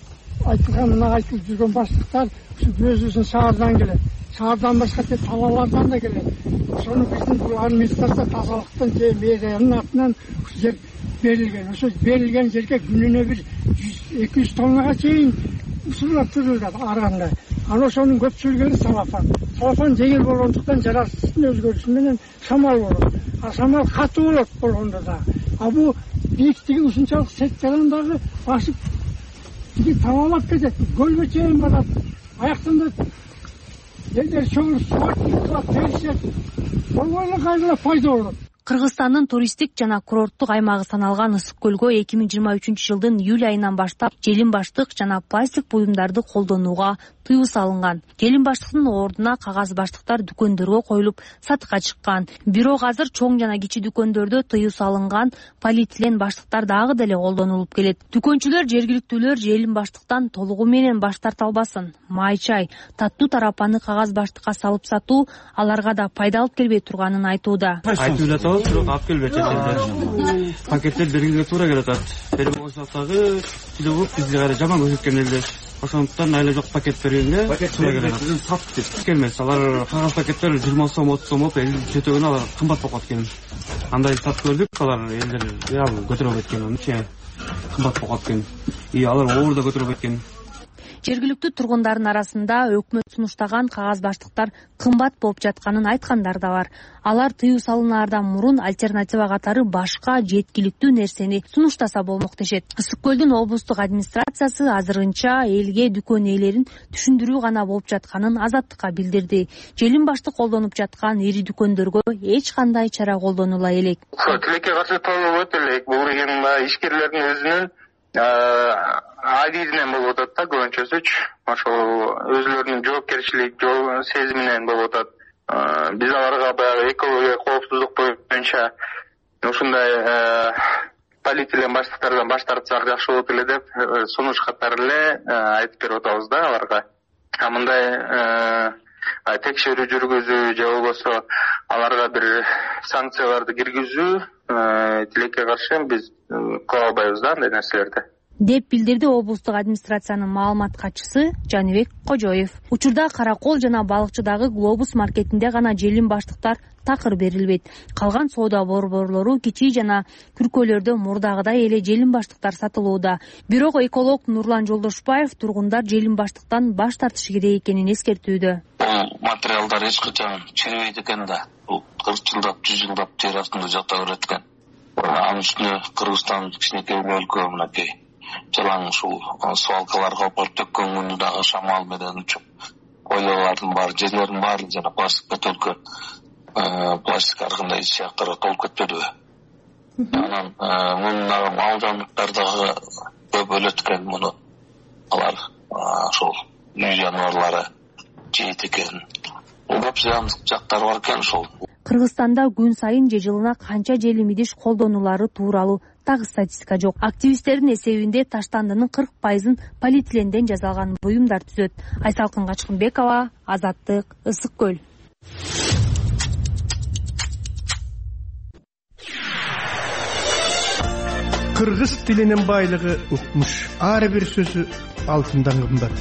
айтылганына айтылып жүргөн баштыктар өзүбүздүн шаардан келет. Шаардан башка тек талаалардан да келет. Ошону биздин бул администрация тазалыктын же мэриянын атынан жер берилген. Ошо берилген жерге күнүнө бир жүз эки жүз тоннага чейин усурлар түрүлөт ар кандай. Анан ошонун көпчүлүгү салафан. Салафан жеңил болгондуктан жаратылыштын өзгөрүшү менен шамал болот. А шамал катуу болот болгондо да. А бул бийиктиги ушунчалык сеткадан дагы башып тиги талаалап кетет. Көлгө чейин барат. Аяктан да элдер чоңуп суат теришет. Болгойло кайра пайда болот. Кыргызстандын туристтик жана курорттук аймагы саналган ысык көлгө эки миң жыйырма үчүнчү жылдын июль айынан баштап желим баштык жана пластик буюмдарды колдонууга тыюу салынган. Желим баштыктын ордуна кагаз баштыктар дүкөндөргө коюлуп сатыкка чыккан. Бирок азыр чоң жана кичи дүкөндөрдө тыюу салынган полиэтилен баштыктар дагы деле колдонулуп келет. Дүкөнчүлөр жергиликтүүлөр желим баштыктан толугу менен баш тарта албасын. Май чай, таттуу тарапаны кагаз баштыкка салып сатуу аларга да пайда алып келбей турганын айтууда. Бирок алып келбейт элдер. Пакеттер бергенге туура келет. Перемоштагы тилөгүп бизге кайра жаман көрсөткөн элдер. Ошондуктан айла жок пакет бергенге туура келет. Сат деп келмес. Алар кагаз пакеттер жыйырма сом, отуз сом болуп, эл жетөгөнө алар кымбат болуп калат экен. Андай сат көрдүк, алар элдер реал көтөрө албайт экен, анча кымбат болуп калат экен. И алар оорда көтөрө албайт экен. жергиликтүү тургундардын арасында өкмөт сунуштаган кагаз баштыктар кымбат болуп жатканын айткандар да бар. Алар тыюу салынаардан мурун альтернатива катары башка жеткиликтүү нерсени сунуштаса болмок дешет. Ысык көлдүн облустук администрациясы азырынча элге дүкөн ээлерин түшүндүрүү гана болуп жатканын Азаттыкка билдирди. Желим башты колдонуп жаткан ири дүкөндөргө эч кандай чара колдонула элек. Тилекке каршы толуп өтө элек. Бул деген ишкерлердин өзүнүн адидинен болуп атат да, көбүнчөсүчү. Ошол өзүлөрүнүн жоопкерчилик сезиминен болуп атат. Биз аларга баягы экология коопсуздук боюнча ушундай полиэтилен баштыктардан баш тартсак жакшы болот эле деп сунуш катары эле айтып берип атабыз да аларга. А мындай текшерүү жүргүзүү же болбосо аларга бир санкцияларды киргизүү тилекке каршы биз кыла албайбыз да андай нерселерди, деп билдирди облустук администрациянын маалымат катчысы Жаныбек Кожоев. Учурда Каракол жана Балыкчыдагы Глобус маркетинде гана желим баштыктар такыр берилбейт. Калган соода борборлору кичи жана күркөлөрдө мурдагыдай эле желим баштыктар сатылууда. Бирок эколог Нурлан Жолдошбаев тургундар желим баштыктан баш тартышы керек экенин эскертүүдө. Бул материалдар эч качан чирибейт экен да. Бул кырк жылдап, жүз жылдап жер астында жата берет экен. Анын үстүнө Кыргызстан кичинекей өлкө, мынакей жалаң ушул свалкаларга коюп төккөн күнү дагы шамал менен учуп, ойлолордун баары, жерлердин баары жана пластик бөтөлкө, пластик ар кандай сыяктарга толуп кетпедиби? Анан муну мал жаныбарлар дагы көп өлөт экен, муну алар ошол үй жаныбарлары жейт экен. Көп зыяндык жактары бар экен ошол. Кыргызстанда күн сайын же жылына канча желим идиш колдонулары тууралуу так статистика жок. Активисттердин эсебинде таштандынын кырк пайызын полиэтиленден жасалган буюмдар түзөт. Айсалкын Качкынбекова, Азаттык, Ысык көл. Кыргыз тилинин байлыгы укмуш. Ар бир сөзү алтындан кымбат.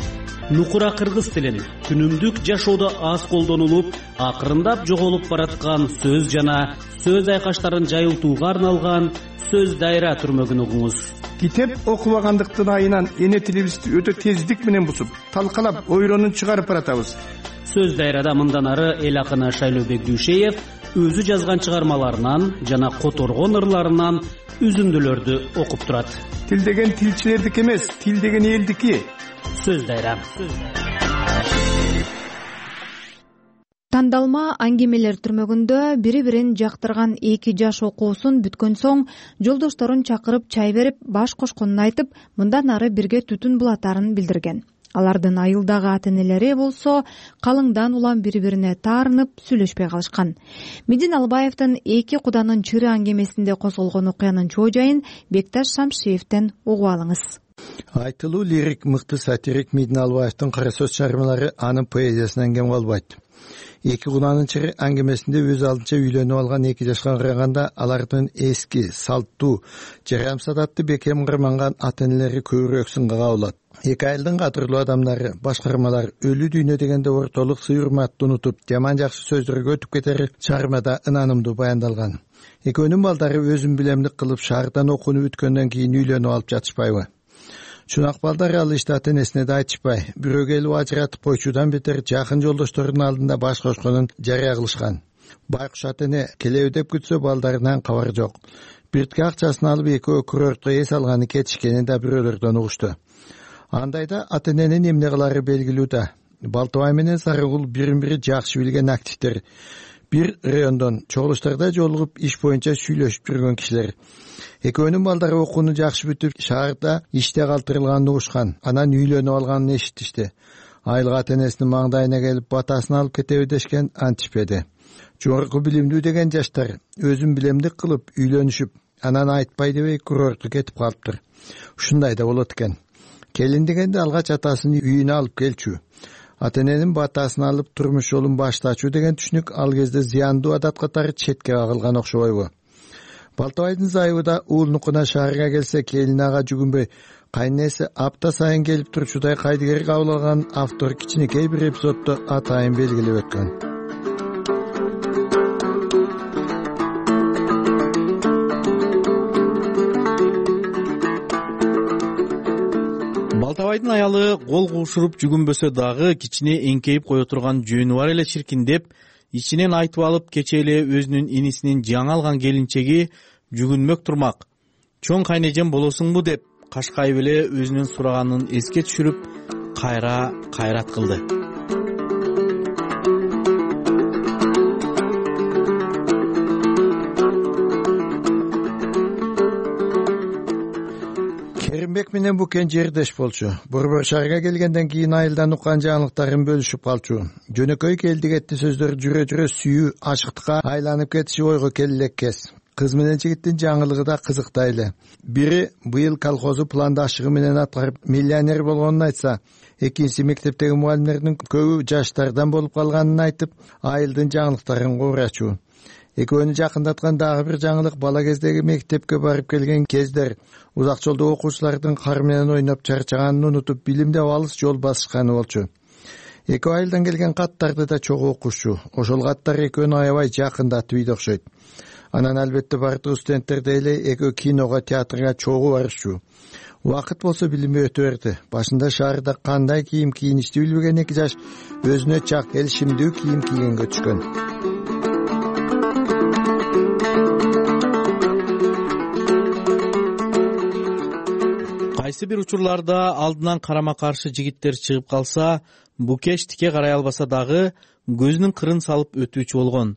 Нукура кыргыз тилин күнүмдүк жашоодо аз колдонулуп, акырындап жоголуп бараткан сөз жана сөз айкаштарын жайылтууга арналган сөз дайра түрмөгүн угуңуз. Китеп окубагандыктын айынан эне тилибизди өтө тездик менен бусуп, талкалап, ойронун чыгарып баратабыз. Сөз дайрада мындан ары эл акыны Шайлообек Дүйшеев өзү жазган чыгармаларынан жана которгон ырларынан үзүндүлөрдү окуп турат. Тил деген тилчилердики эмес, тил деген элдики. Сөз дайра. Тандалма аңгемелер түрмөгүндө бири-бирин жактырган эки жаш окуусун бүткөн соң жолдошторун чакырып чай берип, баш кошконун айтып, мындан ары бирге түтүн булатарын билдирген. Алардын айылдагы ата-энелери болсо калыңдан улам бири-бирине таарынып сүйлөшпөй калышкан. Медин Албаевдин эки куданын чыры аңгемесинде козголгон окуянын чоо жайын Бекташ Шамшиевден угуп алыңыз. Айтылуу лирик мыкты сатирик Медин Албаевдин кара сөз чыгармалары анын поэзиясынан кем калбайт. Эки куданын чыры аңгемесинде өз алдынча үйлөнүп алган эки жашка караганда алардын эски, салттуу, жарамсат атты бекем кырманган ата-энелери көбүрөөк сынга кабылат. Эки айылдын кадырлуу адамдары, башкармалар өлүү дүйнө дегенде ортолук сый-урматты унутуп, жаман жакшы сөздөргө өтүп кетери чыгармада ынанымдуу баяндалган. Экөөнүн балдары өзүн билемдик кылып шаардан окууну бүткөндөн кийин үйлөнүп алып жатышпайбы? Чунак балдар ал ишти ата-энесине да айтышпай, бирөө келип ажыратып койчудан бетер жакын жолдошторунун алдында баш кошконун жарыя кылышкан. Байкуш ата-эне келеби деп күтсө балдарынан кабар жок. Биртке акчасын алып экөө курортко эс алганы кетишкенин да бирөөлөрдөн угушту. Андайда ата-эненин эмне кылары белгилүү да. Балтыбай менен Сарыгул бирин-бири жакшы билген активдер. Бир райондон чогулуштарда жолугуп иш боюнча сүйлөшүп жүргөн кишилер. Экөөнүн балдары окууну жакшы бүтүп, шаарда иште калтырылганын угушкан. Анан үйлөнүп алганын эшиттишти. Айылга ата-энесинин маңдайына келип батасын алып кетеби дешкен антишпеди. Жогорку билимдүү деген жаштар өзүн билемдик кылып үйлөнүшүп, анан айтпай дебей курортко кетип калыптыр. Ушундай да болот экен. Келин дегенде алгач атасынын үйүнө алып келчү. Ата-эненин батасын алып турмуш жолун баштачу деген түшүнүк ал кезде зыяндуу адат катары четке кагылган окшобойбу? Балтыбайдын зайыбы да уулнукуна шаарга келсе келин ага жүгүнбөй, кайнеси апта сайын келип турчудай кайдыгер кабыл алган автор кичинекей бир эпизоддо атайын белгилеп өткөн. Балтабайдын аялы кол куушуруп жүгүнбөсө дагы кичине эңкейип кое турган жөнү бар эле чиркин деп ичинен айтып алып кечээ эле өзүнүн инисинин жаңы алган келинчеги жүгүнмөк турмак. Чоң кайнежем болосуңбу деп кашкайып эле өзүнүн сураганын эске түшүрүп кайра кайрат кылды. Керимбек менен Букен жердеш болчу. Борбор шаарга келгенден кийин айылдан уккан жаңылыктарын бөлүшүп калчу. Жөнөкөй келди кетти сөздөр жүрө жүрө сүйүү ачыктыкка айланып кетиши ойго келелек кез. Кыз менен жигиттин жаңылыгы да кызыктай эле. Бири быйыл колхозу пландашыгы менен аткарып миллионер болгонун айтса, экинчиси мектептеги мугалимдердин көбү жаштардан болуп калганын айтып, айылдын жаңылыктарын куурачу. Экөөнү жакындаткан дагы бир жаңылык бала кездеги мектепке барып келген кездер узак жолдо окуучулардын кар менен ойноп чарчаганын унутуп билимде алыс жол басышканы болчу. Экөө айылдан келген каттарды да чогуу окушчу. Ошол каттар экөөнү аябай жакындатып ийди окшойт. Анан албетте бардык студенттер деле экөө киного, театрга чогуу барышчу. Убакыт болсо билими өтө берди. Башында шаарда кандай кийим кийиништи билбеген эки жаш өзүнө чак элшимдүү кийим кийгенге түшкөн. Кайсы бир учурларда алдынан карама каршы жигиттер чыгып калса, Букеш тике карай албаса дагы көзүнүн кырын салып өтүүчү болгон.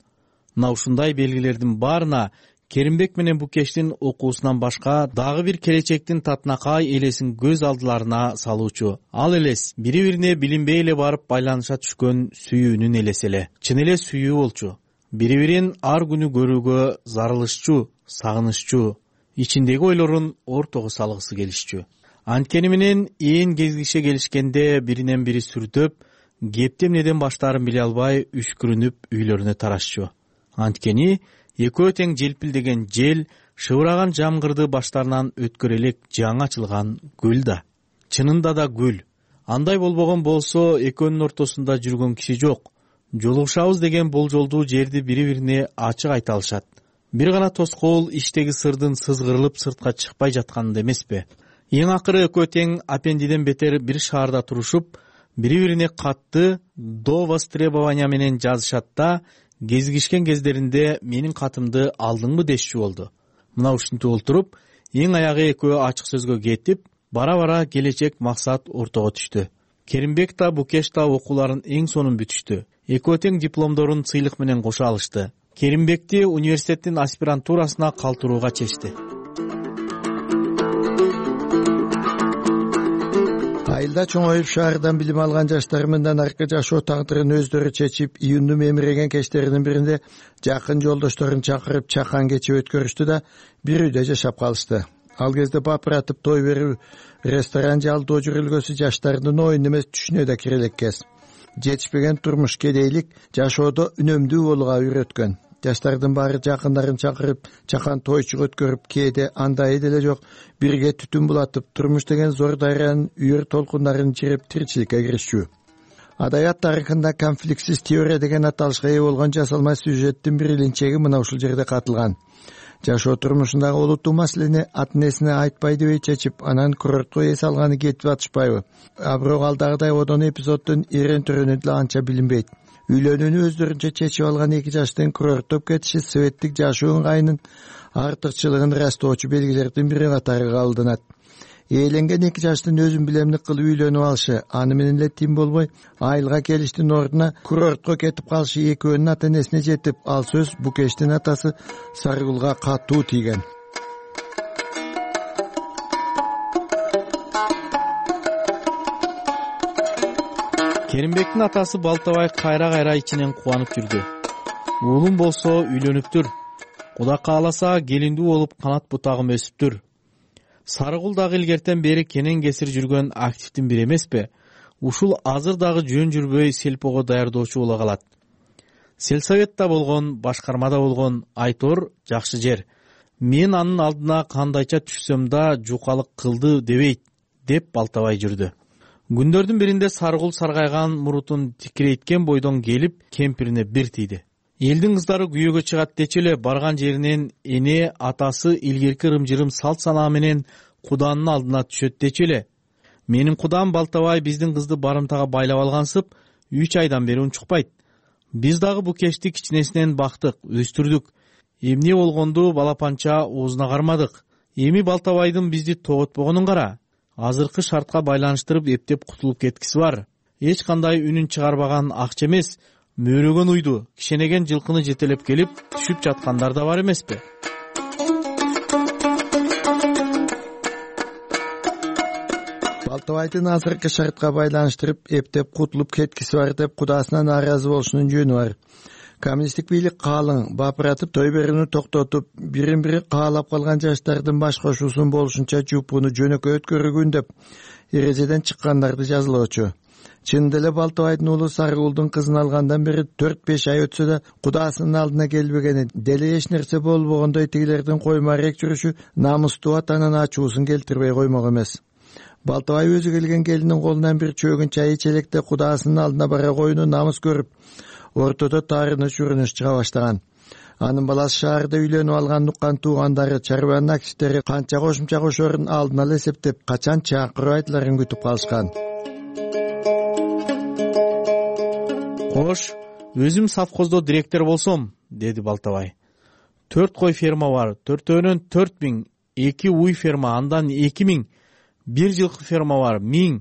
Мына ушундай белгилердин баарына Керимбек менен Букештин окуусунан башка дагы бир келечектин татынакай элесин көз алдыларына салуучу. Ал элес бири-бирине билинбей эле барып байланыша түшкөн сүйүүнүн элеси эле. Чын эле сүйүү болчу. Бири-бирин ар күнү көрүүгө зарылышчу, сагынышчу, ичиндеги ойлорун ортого салгысы келишчү. Анткени менен ээн кезгише келишкенде биринен бири сүрдөп, кепти эмнеден баштаарын биле албай үшкүрүнүп үйлөрүнө тарашчу. Анткени экөө тең желпилдеген жел, шыбыраган жамгырды баштарынан өткөрө элек жаңы ачылган гүл да. Чынында да гүл. Андай болбогон болсо экөөнүн ортосунда жүргөн киши жок. Жолугушабыз деген болжолдуу жерди бири-бирине ачык айта алышат. Бир гана тоскоол иштеги сырдын сызгырылып сыртка чыкпай жатканында эмеспи? Эң акыры экөө тең апендиден бетер бир шаарда турушуп, бири-бирине катты до востребования менен жазышат да, кезигишкен кездеринде менин катымды алдыңбы дешчү болду. Мына ушинтип олтуруп, эң аягы экөө ачык сөзгө кетип, бара-бара келечек максат ортого түштү. Керимбек да Букеш да окууларын эң сонун бүтүштү. Экөө тең дипломдорун сыйлык менен кошо алышты. Керимбекти университеттин аспирантурасына калтырууга чечти. Айылда чоңоюп шаардан билим алган жаштар мындан аркы жашоо тагдырын өздөрү чечип, июндун мемиреген кечтеринин биринде жакын жолдошторун чакырып чакан кече өткөрүштү да бир үйдө жашап калышты. Ал кезде бапыратып той берүү, ресторан жалдоо жүрүлгөсү жаштардын оюн эмес түшүнө да кире элек кез. Жетишпеген турмуш кедейлик жашоодо үнөмдүү болууга үйрөткөн. Жаштардын баары жакындарын чакырып, чакан тойчук өткөрүп, кээде андай деле жок, бирге түтүн булатып, турмуш деген зор дайранын үйөр толкундарын чиреп тиричиликке киришчү. Адабият тарыхында конфликтсиз теория деген аталышка ээ болгон жасалма сюжеттин бир илинчеги мына ушул жерде катылган. Жашоо турмушундагы олуттуу маселени ата-энесине айтпай дебей чечип, анан курортко эс алганы кетип атышпайбы? А бирок алдагыдай одон эпизоддун эрен төрөнү деле анча билинбейт. Үйлөнүүнү өздөрүнчө чечип алган эки жаштын курорттоп кетиши советтик жашоо ыңгайынын артыкчылыгын ырастоочу белгилердин бири катары кабылданат. Ээленген эки жаштын өзүн билемдик кылып үйлөнүп алышы, аны менен эле тим болбой, айылга келиштин ордуна курортко кетип калышы экөөнүн ата-энесине жетип, ал сөз Букештин атасы Сарыгулга катуу тийген. Керимбектин атасы Балтабай кайра-кайра ичинен кубанып жүрдү. Уулум болсо үйлөнүптүр. Кудай кааласа келиндүү болуп канат бутагым өсүптүр. Сарыгул дагы илгертен бери кенен кесир жүргөн активдин бири эмеспи? Ушул азыр дагы жөн жүрбөй селпого даярдоочу боло калат. Сельсоветта болгон, башкармада болгон Айтор жакшы жер. Мен анын алдына кандайча түшсөм да жукалык кылды дебейт, деп Балтабай жүрдү. Күндөрдүн биринде Сарыгул саргайган мурутун тикирейткен бойдон келип, кемпирине бир тийди. Элдин кыздары күйөөгө чыгат дечи эле барган жеринен эне атасы илгерки ырым-жырым салт санаа менен Куданын алдына түшөт дечи эле. Менин кудам Балтабай биздин кызды барымтага байлап алгансып үч айдан бери унчукпайт. Биз дагы бул кечти кичинесинен бактык, өстүрдүк. Эмне болгонду балапанча оозуна кармадык. Эми Балтабайдын бизди тоготпогонун кара. Азыркы шартка байланыштырып эптеп кутулуп кеткиси бар. Эч кандай үнүн чыгарбаган акча эмес, мөөрөгөн уйду, кишенеген жылкыны жетелеп келип түшүп жаткандар да бар эмеспи? Балтабайдын азыркы шартка байланыштырып эптеп кутулуп кеткиси бар деп кудасына нааразы болушунун жөнү бар. Коммунисттик бийлик каалың бапыратып той берүүнү токтотуп, бирин бири каалап калган жаштардын баш кошуусун болушунча жупууну жөнөкөй өткөргүн деп эрежеден чыккандарды жазылоочу. Чындап эле Балтабайдын уулу Сарыгулдун кызын алгандан бери төрт беш ай өтсө да кудасынын алдына келбегени, деле эч нерсе болбогондой тигилердин коймарек жүрүшү намустуу атанын ачуусун келтирбей коймок эмес. Балтабай өзү келген келинин колунан бир чөгүн чай ич электе кудасынын алдына бара коюуну намыс көрүп, ортодо таарыныч үрүнүш чыга баштаган. Анын баласы шаарда үйлөнүп алган уккан туугандары, чарбанын активдери канча кошумча кошорун алдын ала эсептеп, качан чакыруу айтыларын күтүп калышкан. Кош, өзүм совхоздо директор болсом, деди Балтабай. Төрт кой ферма бар, төртөөнөн төрт миң, эки уй ферма, андан эки миң, бир жылкы ферма бар, миң,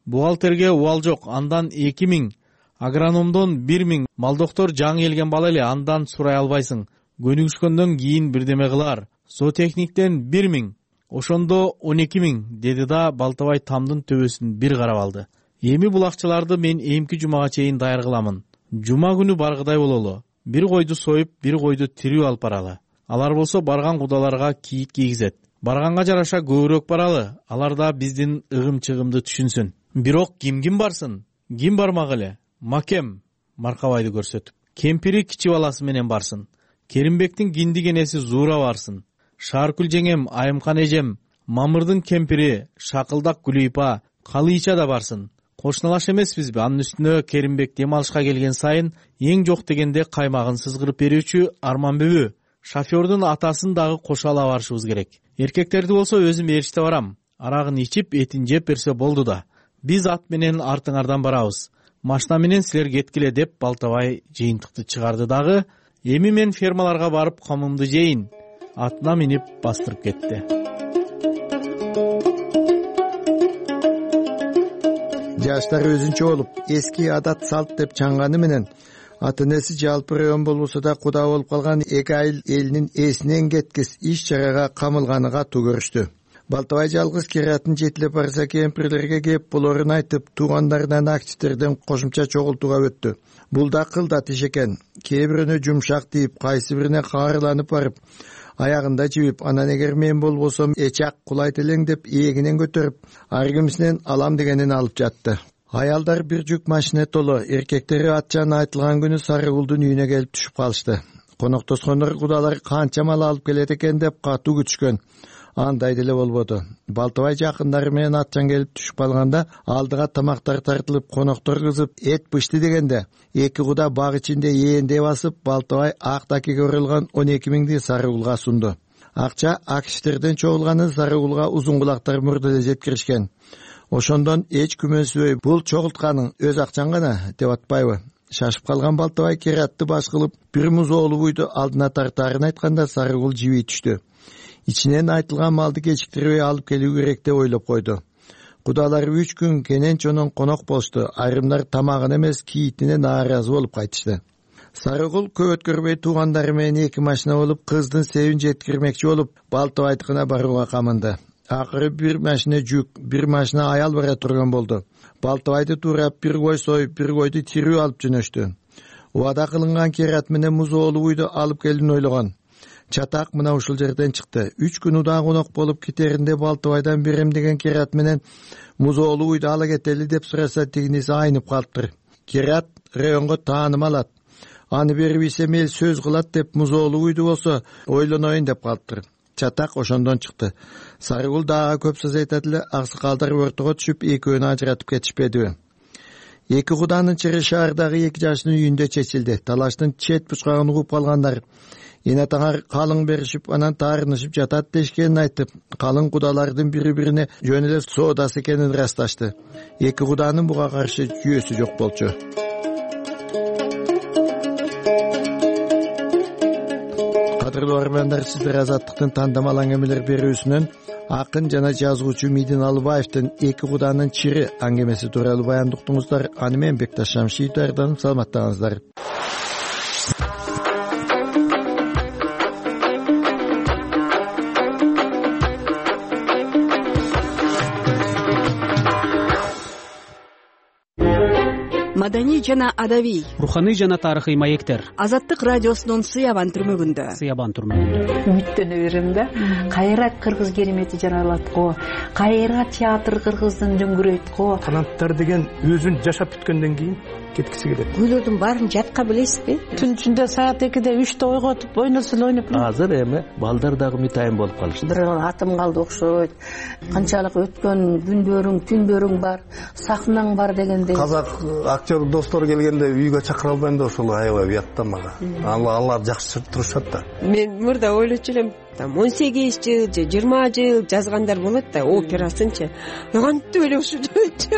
бухгалтерге убал жок, андан эки миң, агрономдон бир миң, малдоктор жаңы келген бала эле, андан сурай албайсың. Көнүгүшкөндөн кийин бирдеме кылар. Зоотехниктен бир миң, ошондо он эки миң, деди да Балтабай тамдын төбөсүн бир карап алды. Эми бул акчаларды мен эмки жумага чейин даяр кыламын. Жума күнү баргыдай бололу. Бир койду союп, бир койду тирүү алып баралы. Алар болсо барган кудаларга кийит кийгизет. Барганга жараша көбүрөөк баралы. Алар да биздин ыгым-чыгымды түшүнсүн. Бирок ким ким барсын? Ким бармак эле? Макем, Маркабайды көрсөтүп. Кемпири кичи баласы менен барсын. Керимбектин киндик энеси Зуура барсын. Шааркүл жеңем, Айымкан эжем, Мамырдын кемпири, Шакылдак Гүлүйпа, Калыйча да барсын. Кошуналаш эмеспизби? Анын үстүнө Керимбек дем алышка келген сайын эң жок дегенде каймагын сызгырып берүүчү Арманбүбү, шофёрдун атасын дагы кошо ала барышыбыз керек. Эркектерди болсо өзүм ээрчите барам. Арагын ичип, этин жеп берсе болду да. Биз ат менен артыңардан барабыз. Машина менен силер кеткиле деп Балтабай жыйынтыкты чыгарды дагы, эми мен фермаларга барып комумду жейин. Атына минип бастырып кетти. Жаштар өзүнчө болуп, эски адат салт деп чаңганы менен ата энеси жалпы район болбосо да куда болуп калган эки айыл элинин эсинен кеткис иш чарага камылганы катуу көрүштү. Балтабай жалгыз киратын жетилеп барса кемпирлерге кеп болорун айтып, туугандарынан активдерден кошумча чогултууга өттү. Бул да кылдат иш экен. Кээ бирөөнө жумшак тийип, кайсы бирине каарыланып барып, аягында жибип, анан эгер мен болбосом эчак кулайт элең деп эгинен көтөрүп, ар кимисинен алам дегенин алып жатты. Аялдар бир жүк машина толо, эркектери атчан айтылган күнү Сарыгулдун үйүнө келип түшүп калышты. Коноктошкондор кудалар канча мал алып келет экен деп катуу күтүшкөн. Андай деле болбоду. Балтабай жакындары менен атчан келип түшүп калганда, алдыга тамактар тартылып, коноктор кызып, эт бышты дегенде, эки куда баг ичинде ээндей басып, Балтабай ак такиге урулган он эки миңди Сарыгулга сунду. Акча акиштерден чогулганы Сарыгулга узун кулактар мурда эле жеткиришкен. Ошондон эч күмөнсүбөй, бул чогултканың өз акчаң гана деп атпайбы? Шашып калган Балтабай кератты баш кылып, бир муз оолу буйду алдына тартаарын айтканда Сарыгул жиби түштү. Ичинен айтылган малды кечиктирбей алып келүү керек деп ойлоп койду. Кудалар үч күн кенен чонон конок болушту. Айрымдар тамагын эмес, кийитине нааразы болуп кайтышты. Сарыгул көп өткөрбөй туугандары менен эки машина болуп, кыздын себин жеткирмекчи болуп, Балтабайдыкына барууга камынды. Акыры бир машина жүк, бир машина аял бара турган болду. Балтабайды туурап, бир кой союп, бир койду тирүү алып жөнөштү. Убада кылынган керат менен муз оолу буйду алып келүүнү ойлогон. Чатак мына ушул жерден чыкты. Үч күн удаа конок болуп кетеринде Балтабайдан берем деген керат менен муз оолу буйду ала кетели деп сураса, тигиниси айнып калыптыр. Керат районго тааным алат. Аны бербесем эл сөз кылат деп муз оолу буйду болсо ойлоноюн деп калыптыр. Чатак ошондон чыкты. Сарыгул дагы көп сөз айтат эле, аксакалдар ортого түшүп экөөнү ажыратып кетишпедиби? Эки куданын чыры шаардагы эки жаштын үйүндө чечилди. Талаштын чет бучкагын угуп калгандар эне таңар калың беришип анан таарынышып жатат дешкенин айтып, калың кудалардын бири бирине жөн эле соодасы экенин ырасташты. Эки куданын буга каршы жүйөсү жок болчу. Кадырлуу армяндар, сиздер Азаттыктын тандамал аңгемелер берүүсүнөн акын жана жазуучу Мидин Алыбаевдин эки куданын чири аңгемеси тууралуу баяндык уктуңуздар. Аны менен Бекташ Шамшиев даярданып, саламаттаңыздар. Маданий жана адабий, руханий жана тарыхый маектер. Азаттык радиосунун Сыябан түрмөгүндө. Сыябан түрмөгүндө. Үмүттөнө берем да. Кайра кыргыз керемети жаралат го. Кайра театр кыргыздын дөңгүрөйт го. Канаттар деген өзүн жашап бүткөндөн кийин кеткиси келет. Күйлөрдүн баарын жатка билесизби? Түн ичинде саат экиде үчтө ойготуп ойносун ойноп. Азыр эми балдар дагы мытайын болуп калышты. Бир атым калды окшойт. Канчалык өткөн күндөрүң, түндөрүң бар, сахнаң бар дегендей. Казак актер достор келгенде үйгө чакыра албайм да ошол аябай уятта мага. Алар жакшы турушат да. Мен мурда ойлочу элем, там он сегиз жыл же жыйырма жыл жазгандар болот да, операсынчы. Кантип эле ушунча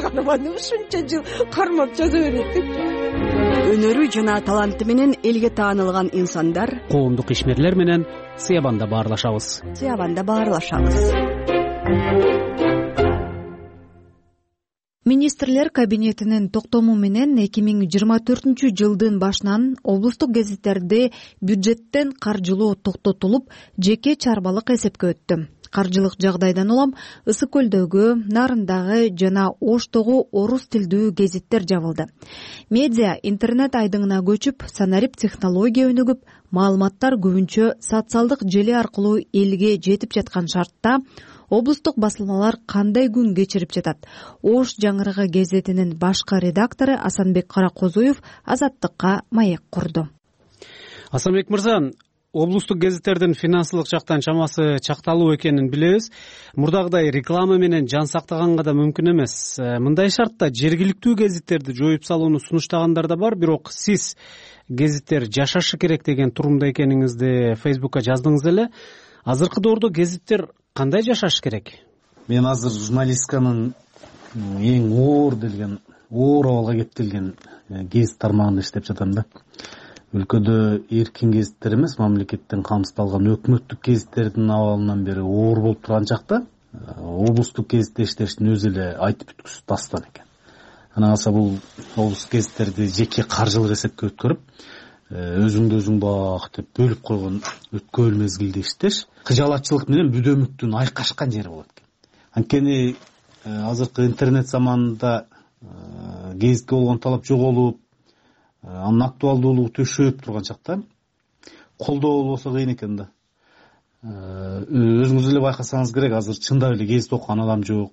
карманып, ушунча жыл кармап жаза берет деп. Өнөрү жана таланты менен элге таанылган инсандар, коомдук ишмерлер менен Сыябанда баарлашабыз. Сыябанда баарлашабыз. Министрлер кабинетинин токтому менен эки миң жыйырма төртүнчү жылдын башынан облустук гезиттерди бюджеттен каржылоо токтотулуп, жеке чарбалык эсепке өттү. Каржылык жагдайдан улам Ысык көлдөгү, Нарындагы жана Оштогу орус тилдүү гезиттер жабылды. Медиа интернет айдыңына көчүп, санарип технология өнүгүп, маалыматтар көбүнчө социалдык желе аркылуу элге жетип жаткан шартта облустук басылмалар кандай күн кечирип жатат? Ош жаңырыгы гезитинин башкы редактору Асанбек Каракозуев Азаттыкка маек курду. Асанбек мырза, облустук гезиттердин финансылык жактан чамасы чакталуу экенин билебиз. Мурдагыдай реклама менен жан сактаганга да мүмкүн эмес. Мындай шартта жергиликтүү гезиттерди жоюп салууну сунуштагандар да бар, бирок сиз гезиттер жашашы керек деген турумда экениңизди Фейсбукка жаздыңыз эле. Азыркы доордо гезиттер кандай жашаш керек? Мен азыр журналистканын эң оор делген, оор абалга кептелген гезит тармагында иштеп жатам да. Өлкөдө эркин гезиттер эмес, мамлекеттен камсыздалган өкмөттүк гезиттердин абалынан бери оор болуп турган чакта облустук гезитте иштештин өзү эле айтып бүткүсүз дастан экен. Анан калса бул облустук гезиттерди жеке каржылык эсепке өткөрүп, өзүңдү өзүң бак деп бөлүп койгон өткөл мезгилде иштеш кыжалатчылык менен бүдөмүктүн айкашкан жери болот экен. Анткени азыркы интернет заманында гезитке болгон талап жоголуп, анын актуалдуулугу төшөп турган чакта колдоо болбосо кыйын экен да. Өзүңүз эле байкасаңыз керек, азыр чындап эле гезит окуган адам жок.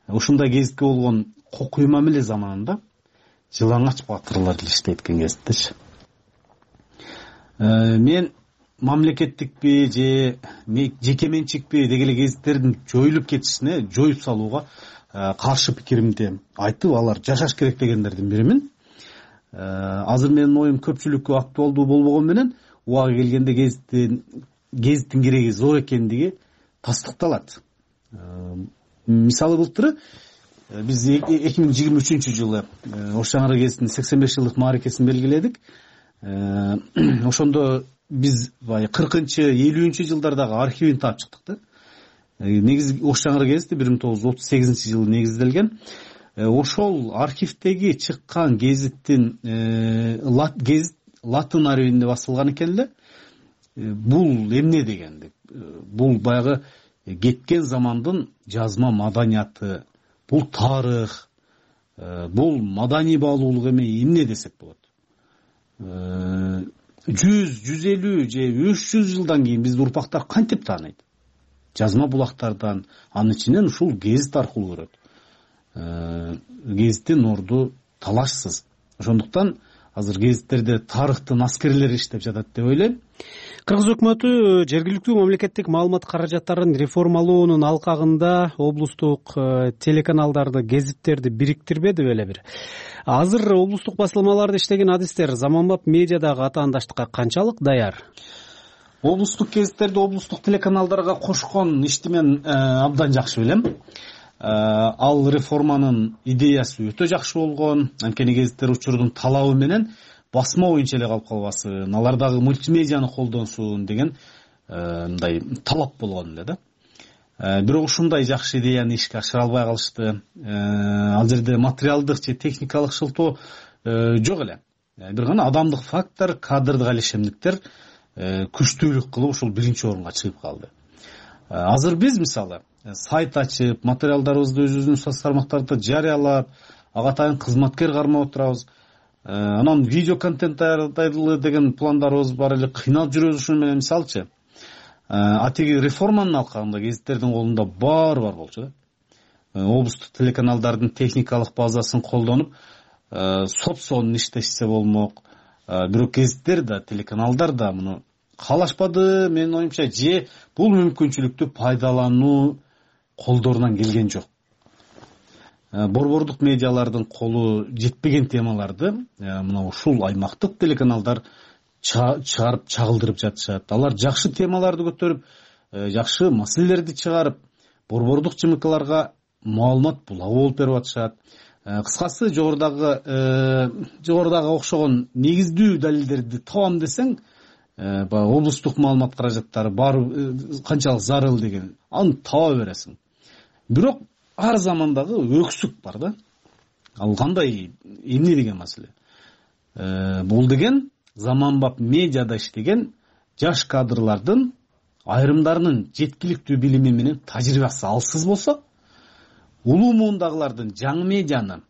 Ушундай гезитке болгон кокуй мамиле заманында жылаңач батырлар эле иштейт экен гезиттечи. Мен мамлекеттикпи же жеке менчикпи дегеле гезиттердин жоюлуп кетишине, жоюп салууга каршы пикиримди айтып, алар жашаш керек дегендердин биримин. Азыр менин оюм көпчүлүккө актуалдуу болбогон менен убагы келгенде гезиттин гезиттин кереги зор экендиги тастыкталат. Мисалы былтыр биз эки миң жыйырма үчүнчү жылы Ош жаңырыгы гезитинин сексен беш жылдык мааракесин белгиледик. Ошондо биз бай кыркынчы элүүнчү жылдардагы архивин таап чыктык да. Негизи Ош жаңырыгы гезити бир миң тогуз жүз отуз сегизинчи жылы негизделген. Ошол архивдеги чыккан гезиттин гезит латын арабинде басылган экен эле. Бул эмне дегенди? Бул баягы кеткен замандын жазма маданияты, бул тарых, бул маданий баалуулук эмне десек болот. жүз, жүз элүү же үч жүз жылдан кийин бизди урпактар кантип тааныйт? Жазма булактардан, анын ичинен ушул гезит аркылуу көрөт. Гезиттин орду талашсыз. Ошондуктан азыр гезиттерде тарыхтын аскерлери иштеп жатат деп ойлойм. Кыргыз өкмөтү жергиликтүү мамлекеттик маалымат каражаттарын реформалоонун алкагында облустук телеканалдарды, гезиттерди бириктирбеди беле бир? Азыр облустук басылмаларда иштеген адистер заманбап медиадагы атаандаштыкка канчалык даяр? облустук гезиттерди облустук телеканалдарга кошкон ишти мен абдан жакшы билем. Ал реформанын идеясы өтө жакшы болгон. Анткени гезиттер учурдун талабы менен басма боюнча эле калып калбасын, алар дагы мультимедианы колдонсун деген мындай талап болгон эле да. Бирок ушундай жакшы идеяны ишке ашыра албай калышты. Ал жерде материалдык же техникалык шылтоо жок эле. Бир гана адамдык фактор, кадрдык алишемдиктер күчтүүлүк кылып ушул биринчи орунга чыгып калды. Азыр биз мисалы сайт ачып, материалдарыбызды өзүбүздүн социалдык тармактарда жарыялап, ага атайын кызматкер кармап отурабыз. Анан видео контент даярдайлы деген пландарыбыз бар эле, кыйналып жүрөбүз ушуну менен. Мисалчы, атиги реформанын алкагында гезиттердин колунда баары бар болчу да. Облустук телеканалдардын техникалык базасын колдонуп, сотсонун иштешсе болмок. Бирок гезиттер да, телеканалдар да муну каалашпады, менин оюмча, же бул мүмкүнчүлүктү пайдалануу колдорунан келген жок. Борбордук медиалардын колу жетпеген темаларды мына ушул аймактык телеканалдар чыгарып, чагылдырып жатышат. Алар жакшы темаларды көтөрүп, жакшы маселелерди чыгарып, борбордук жымыкаларга маалымат булагы болуп берип атышат. Кыскасы, жогорудагы жогорудагы окшогон негиздүү далилдерди табам десең, баягы облустук маалымат каражаттары бар канчалык зарыл деген, аны таба бересиң. Бирок ар замандагы өксүк бар да. Ал кандай, эмне деген маселе? Бул деген заманбап медиада иштеген жаш кадрлардын айрымдарынын жеткиликтүү билими менен тажрыйбасы алсыз болсо, улуу муундагылардын жаңы медианы,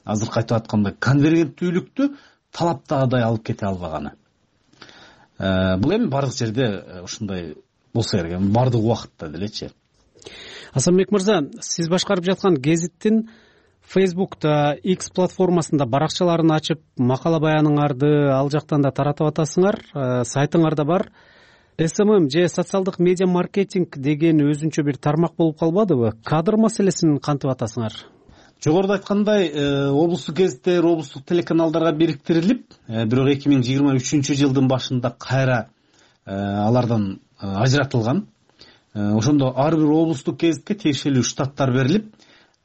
азыр айтып аткандай конвергенттүүлүктү талаптагыдай алып кете албаганы. Бул эми бардык жерде ушундай болсо керек, бардык убакытта делечи. Асанбек мырза, сиз башкарып жаткан гезиттин Facebook'та, X платформасында баракчаларын ачып, макала баяныңарды ал жактан да таратып атасыңар. Сайтыңарда бар. эс эм эм же социалдык медиа маркетинг деген өзүнчө бир тармак болуп калбадыбы? Кадр маселесин кантип атасыңар? Жогоруда айткандай, облустук гезиттер, облустук телеканалдарга бириктирилип, бирок эки миң жыйырма үчүнчү жылдын башында кайра алардан ажыратылган. Ошондо ар бир облустук гезитке тиешелүү штаттар берилип,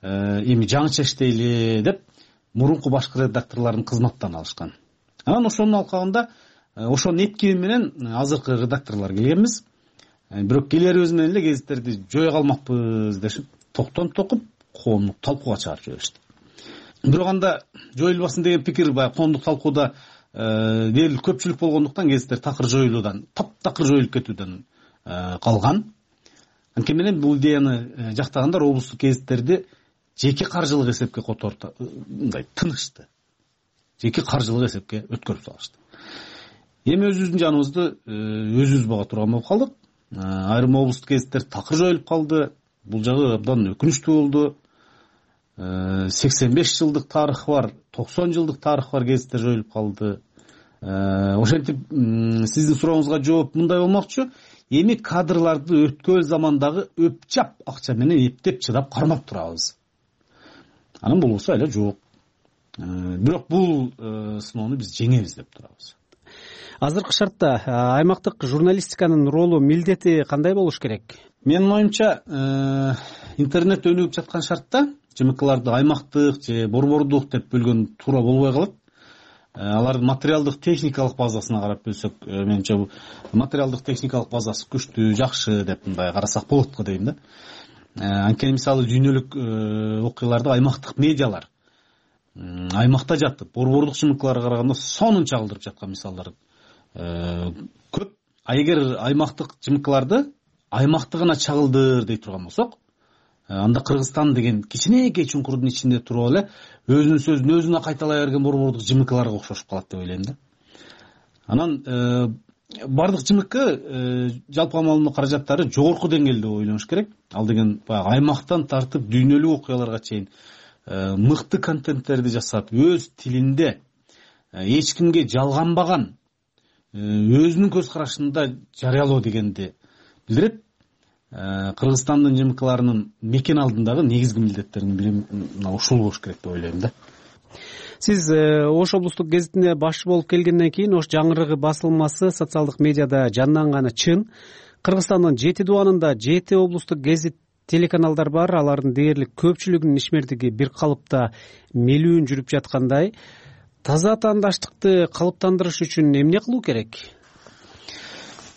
эми жаңыча иштейли деп мурунку башкы редакторлордун кызматтан алышкан. Анан ошонун алкагында ошонун эткими менен азыркы редакторлор келгенбиз. Бирок келерибиз менен эле гезиттерди жое калмакпыз дешип, токтон токуп коомдук талкууга чыгарып жиберишти. Бирок анда жоюлбасын деген пикир баягы коомдук талкууда дээрлик көпчүлүк болгондуктан гезиттер такыр жоюлуудан, таптакыр жоюлуп кетүүдөн калган. Анткени менен бул идеяны жактагандар облустук гезиттерди жеке каржылык эсепке которду, мындай тынышты. Жеке каржылык эсепке өткөрүп салышты. Эми өзүбүздүн жаныбызды өзүбүз бага турган болуп калдык. Айрым облустук гезиттер такыр жоюлуп калды. Бул жагы абдан өкүнүчтүү болду. сексен беш жылдык тарыхы бар, токсон жылдык тарыхы бар гезиттер жоюлуп калды. Ошентип сиздин сурооңузга жооп мындай болмокчу. Эми кадрларды өткөн замандагы өпчап акча менен эптеп чыдап кармап турабыз. Анан болбосо эле жок. Бирок бул сыноону биз жеңебиз деп турабыз. Азыркы шартта аймактык журналистиканын ролу, милдети кандай болуш керек? Менин оюмча, интернет өнүгүп жаткан шартта жымыкаларды аймактык же борбордук деп бөлгөн туура болбой калат. Алардын материалдык техникалык базасына карап бөлсөк, менимче бул материалдык техникалык базасы күчтүү, жакшы деп мындай карасак болот го дейм да. Анткени мисалы дүйнөлүк окуяларды аймактык медиалар аймакта жатып, борбордук жымыкаларга караганда сонун чагылдырып жаткан мисалдар көп. А эгер аймактык жымыкаларды аймактыгына чагылдыр дей турган болсок, анда Кыргызстан деген кичинекей чуңкурдун ичинде туруп эле өзүнүн сөзүн өзүнө кайталай берген борбордук жымыкаларга окшошуп калат деп ойлойм да. Анан бардык жымыкы жалпы маалымат каражаттары жогорку деңгээлде ойлонуш керек. Ал деген баягы аймактан тартып дүйнөлүк окуяларга чейин мыкты контенттерди жасап, өз тилинде эч кимге жалганбаган өзүнүн көз карашында жарыялоо дегенди билдирет. Кыргызстандын жымыкаларынын мекен алдындагы негизги милдеттердин бири ушул болуш керек деп ойлойм да. Сиз Ош облустук гезитине башчы болуп келгенден кийин Ош жаңырыгы басылмасы социалдык медиада жанданганы чын. Кыргызстандын жети дубанында жети облустук гезит телеканалдар бар. Алардын дээрлик көпчүлүгүнүн ишмердиги бир калыпта мелүүн жүрүп жаткандай. Таза атаандаштыкты калыптандырыш үчүн эмне кылуу керек?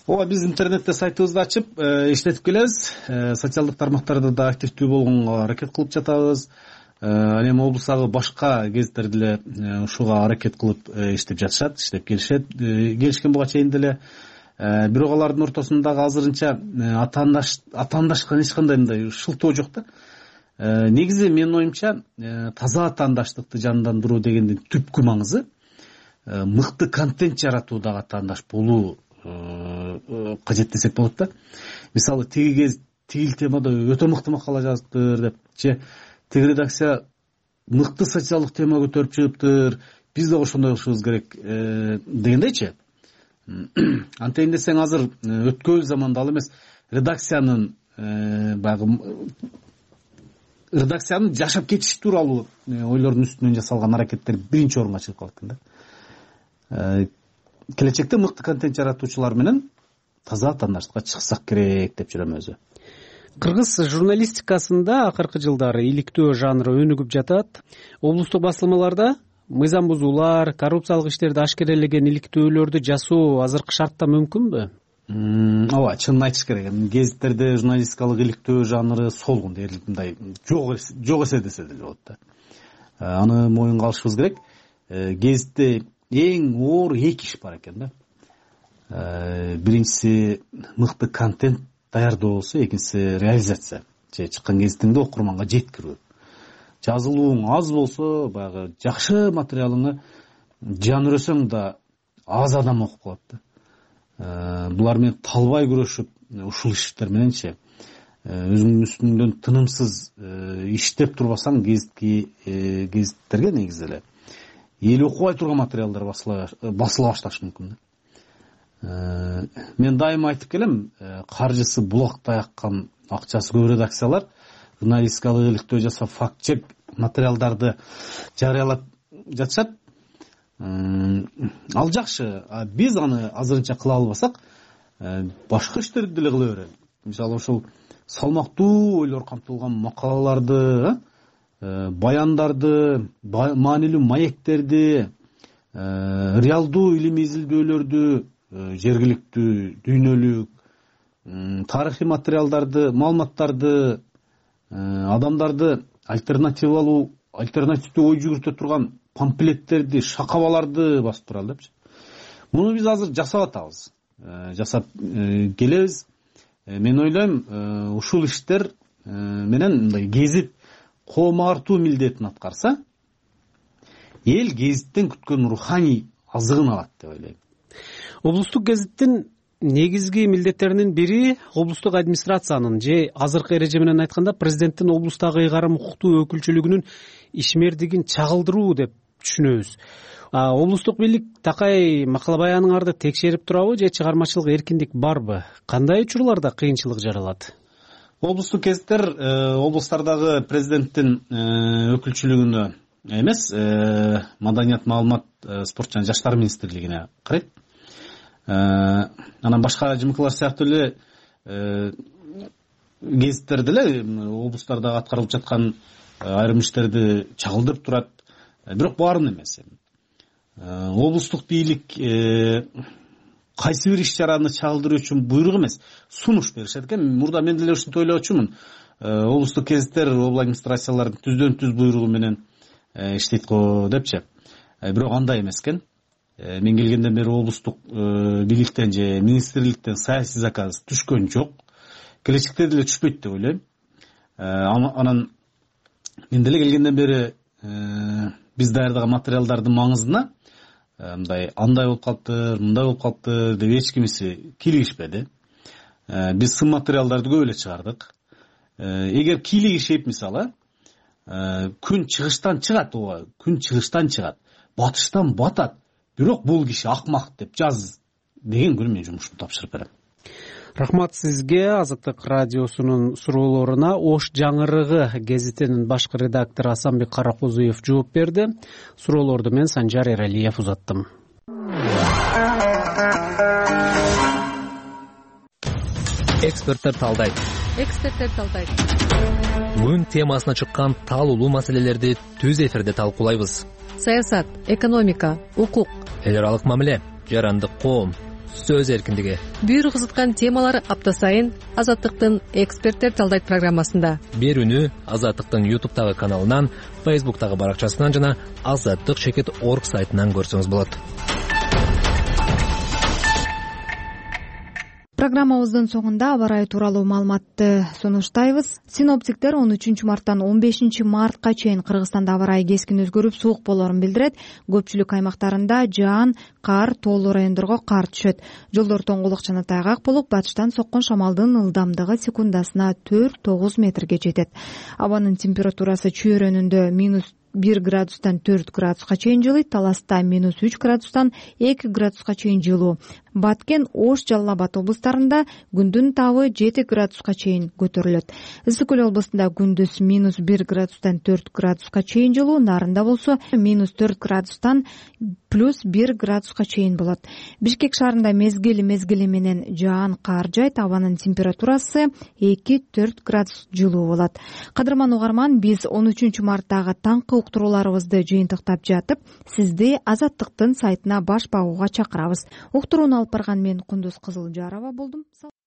ооба, биз интернетте сайтыбызды ачып иштетип келебиз. Социалдык тармактарда да активдүү болгонго аракет кылып жатабыз. Ал эми облустагы башка гезиттер деле ушуга аракет кылып иштеп жатышат, иштеп келишет, келишкен буга чейин деле. Бирок алардын ортосундагы азырынча атаандашкан эч кандай мындай шылтоо жок да. Негизи менин оюмча таза атаандаштыкты жандандыруу дегендин түпкү маңызы мыкты контент жаратуудагы атаандаш болуу кажет десек болот да. Мисалы тиги кез тигил темада өтө мыкты макала жазыптыр деп, же тиги редакция мыкты социалдык тема көтөрүп чыгыптыр, биз да ошондой кылышыбыз керек дегендейчи. Антейин десең, азыр өткөн заманда ал эмес, редакциянын баягы редакциянын жашап кетиши тууралуу ойлордун үстүнөн жасалган аракеттер биринчи орунга чыгып калат экен да. Келечекте мыкты контент жаратуучулар менен таза атаандаштыкка чыксак керек деп жүрөм өзү. Кыргыз журналистикасында акыркы жылдары иликтөө жанры өнүгүп жатат. Облустук басылмаларда мыйзам бузуулар, коррупциялык иштерди ашкерелеген иликтөөлөрдү жасоо азыркы шартта мүмкүнбү? Ооба, чынын айтыш керек. Гезиттерде журналистикалык иликтөө жанры солгун дээрлик мындай жок жок эсе десе деле болот да. Аны моюнга алышыбыз керек. Гезитте эң оор эки иш бар экен да. Биринчиси мыкты контент даярдоо болсо, экинчиси реализация. Же чыккан гезитиңди окурманга жеткирүү. Жазылууң аз болсо, баягы жакшы материалыңы жанырөсөң да аз адам окуп калат да. Булар менен талбай күрөшүп, ушул иштер мененчи өзүңдүн үстүңдөн тынымсыз иштеп турбасаң, гезитки гезиттерге негизи эле эл окубай турган материалдар басыла башташы мүмкүн. Мен дайыма айтып келем, каржысы булактай аккан, акчасы көп редакциялар журналистикалык иликтөө жасап, факт-чек материалдарды жарыялап жатышат. Ал жакшы, биз аны азырынча кыла албасак, башка иштерди деле кыла берели. Мисалы, ошол салмактуу ойлор камтылган макалаларды, баяндарды, маанилүү маектерди, реалдуу илимий изилдөөлөрдү, жергиликтүү, дүйнөлүк, тарыхый материалдарды, маалыматтарды, адамдарды альтернативалуу, альтернативдүү ой жүгүртө турган памфлеттерди, шакабаларды басып туралы депчи. Муну биз азыр жасап атабыз. Жасап келебиз. Мен ойлойм, ушул иштер менен мындай гезит коом артуу милдетин аткарса, эл гезиттен күткөн руханий азыгын алат деп ойлойм. Облустук гезиттин негизги милдеттеринин бири облустук администрациянын же азыркы эреже менен айтканда президенттин облустагы ыйгарым укуктуу өкүлчүлүгүнүн ишмердигин чагылдыруу деп түшүнөбүз. Облустук бийлик такай макала баяныңарды текшерип турабы же чыгармачылык эркиндик барбы? Кандай учурларда кыйынчылык жаралат? Облустук гезиттер облустардагы президенттин өкүлчүлүгүнө эмес, маданият, маалымат, спорт жана жаштар министрлигине карайт. Анан башка ЖМКлар сыяктуу эле гезиттер деле облустарда аткарылып жаткан айрым иштерди чагылдырып турат. Бирок баарын эмес. Облустук бийлик кайсы бир иш-чараны чагылдыруу үчүн буйрук эмес, сунуш беришет экен. Мурда мен деле ушинтип ойлочумун. Облустук гезиттер обл администрациялардын түздөн түз буйругу менен иштейт го депчи. Бирок андай эмес экен. Мен келгенден бери облустук бийликтен же министрликтен саясий заказ түшкөн жок. Келечекте деле түшпөйт деп ойлойм. Анан мен деле келгенден бери биз даярдаган материалдардын маңызына мындай андай болуп калыптыр, мындай болуп калыптыр деп эч кимиси кийлигишпеди. Биз сын материалдарды көп эле чыгардык. Эгер кийлигишип, мисалы, күн чыгыштан чыгат, ооба, күн чыгыштан чыгат, батыштан батат. Бирок бул киши акмак деп жаз деген күнү мен жумушумду тапшырып берем. рахмат сизге. Азаттык радиосунун суроолоруна Ош жаңырыгы гезитинин башкы редактору Асанбек Каракозуев жооп берди. Суроолорду мен Санжар Эралиев узаттым. Эксперттер талдайт. Эксперттер талдайт. Күн темасына чыккан талуулуу маселелерди түз эфирде талкуулайбыз. Саясат, экономика, укук, эл аралык мамиле, жарандык коом, сөз эркиндиги. Бүйүр кызыткан темалар апта сайын Азаттыктын Эксперттер талдайт программасында. Берүүнү Азаттыктын ютубтагы каналынан, фейсбуктагы баракчасынан жана азаттык чекит точка орг сайтынан көрсөңүз болот. Программабыздын соңунда аба ырайы тууралуу маалыматты сунуштайбыз. Синоптиктер он үчүнчү марттан он бешинчи мартка чейин Кыргызстанда аба ырайы кескин өзгөрүп, суук болоорун билдирет. Көпчүлүк аймактарында жаан, кар, тоолуу райондорго кар түшөт. Жолдор тоңгулук жана тайгак болуп, батыштан соккон шамалдын ылдамдыгы секундасына төрт тогуз метрге жетет. Абанын температурасы чүйөрөнүндө минус бир градустан төрт градуска чейин жылыйт, Таласта минус үч градустан эки градуска чейин жылуу. Баткен, Ош, Жалал Абад облустарында күндүн табы жети градуска чейин көтөрүлөт. Ысык Көл областында күндүз минус бир градустан төрт градуска чейин жылуу, Нарында болсо минус төрт градустан плюс бир градуска чейин болот. Бишкек шаарында мезгил мезгили менен жаан, кар жайт, абанын температурасы эки төрт градус жылуу болот. Кадырман угарман, биз он үчүнчү марттагы таңкы уктурууларыбызды жыйынтыктап жатып, сизди Азаттыктын сайтына баш багууга чакырабыз. Уктурууну алып барган мен Кундуз Кызылжарова болдум.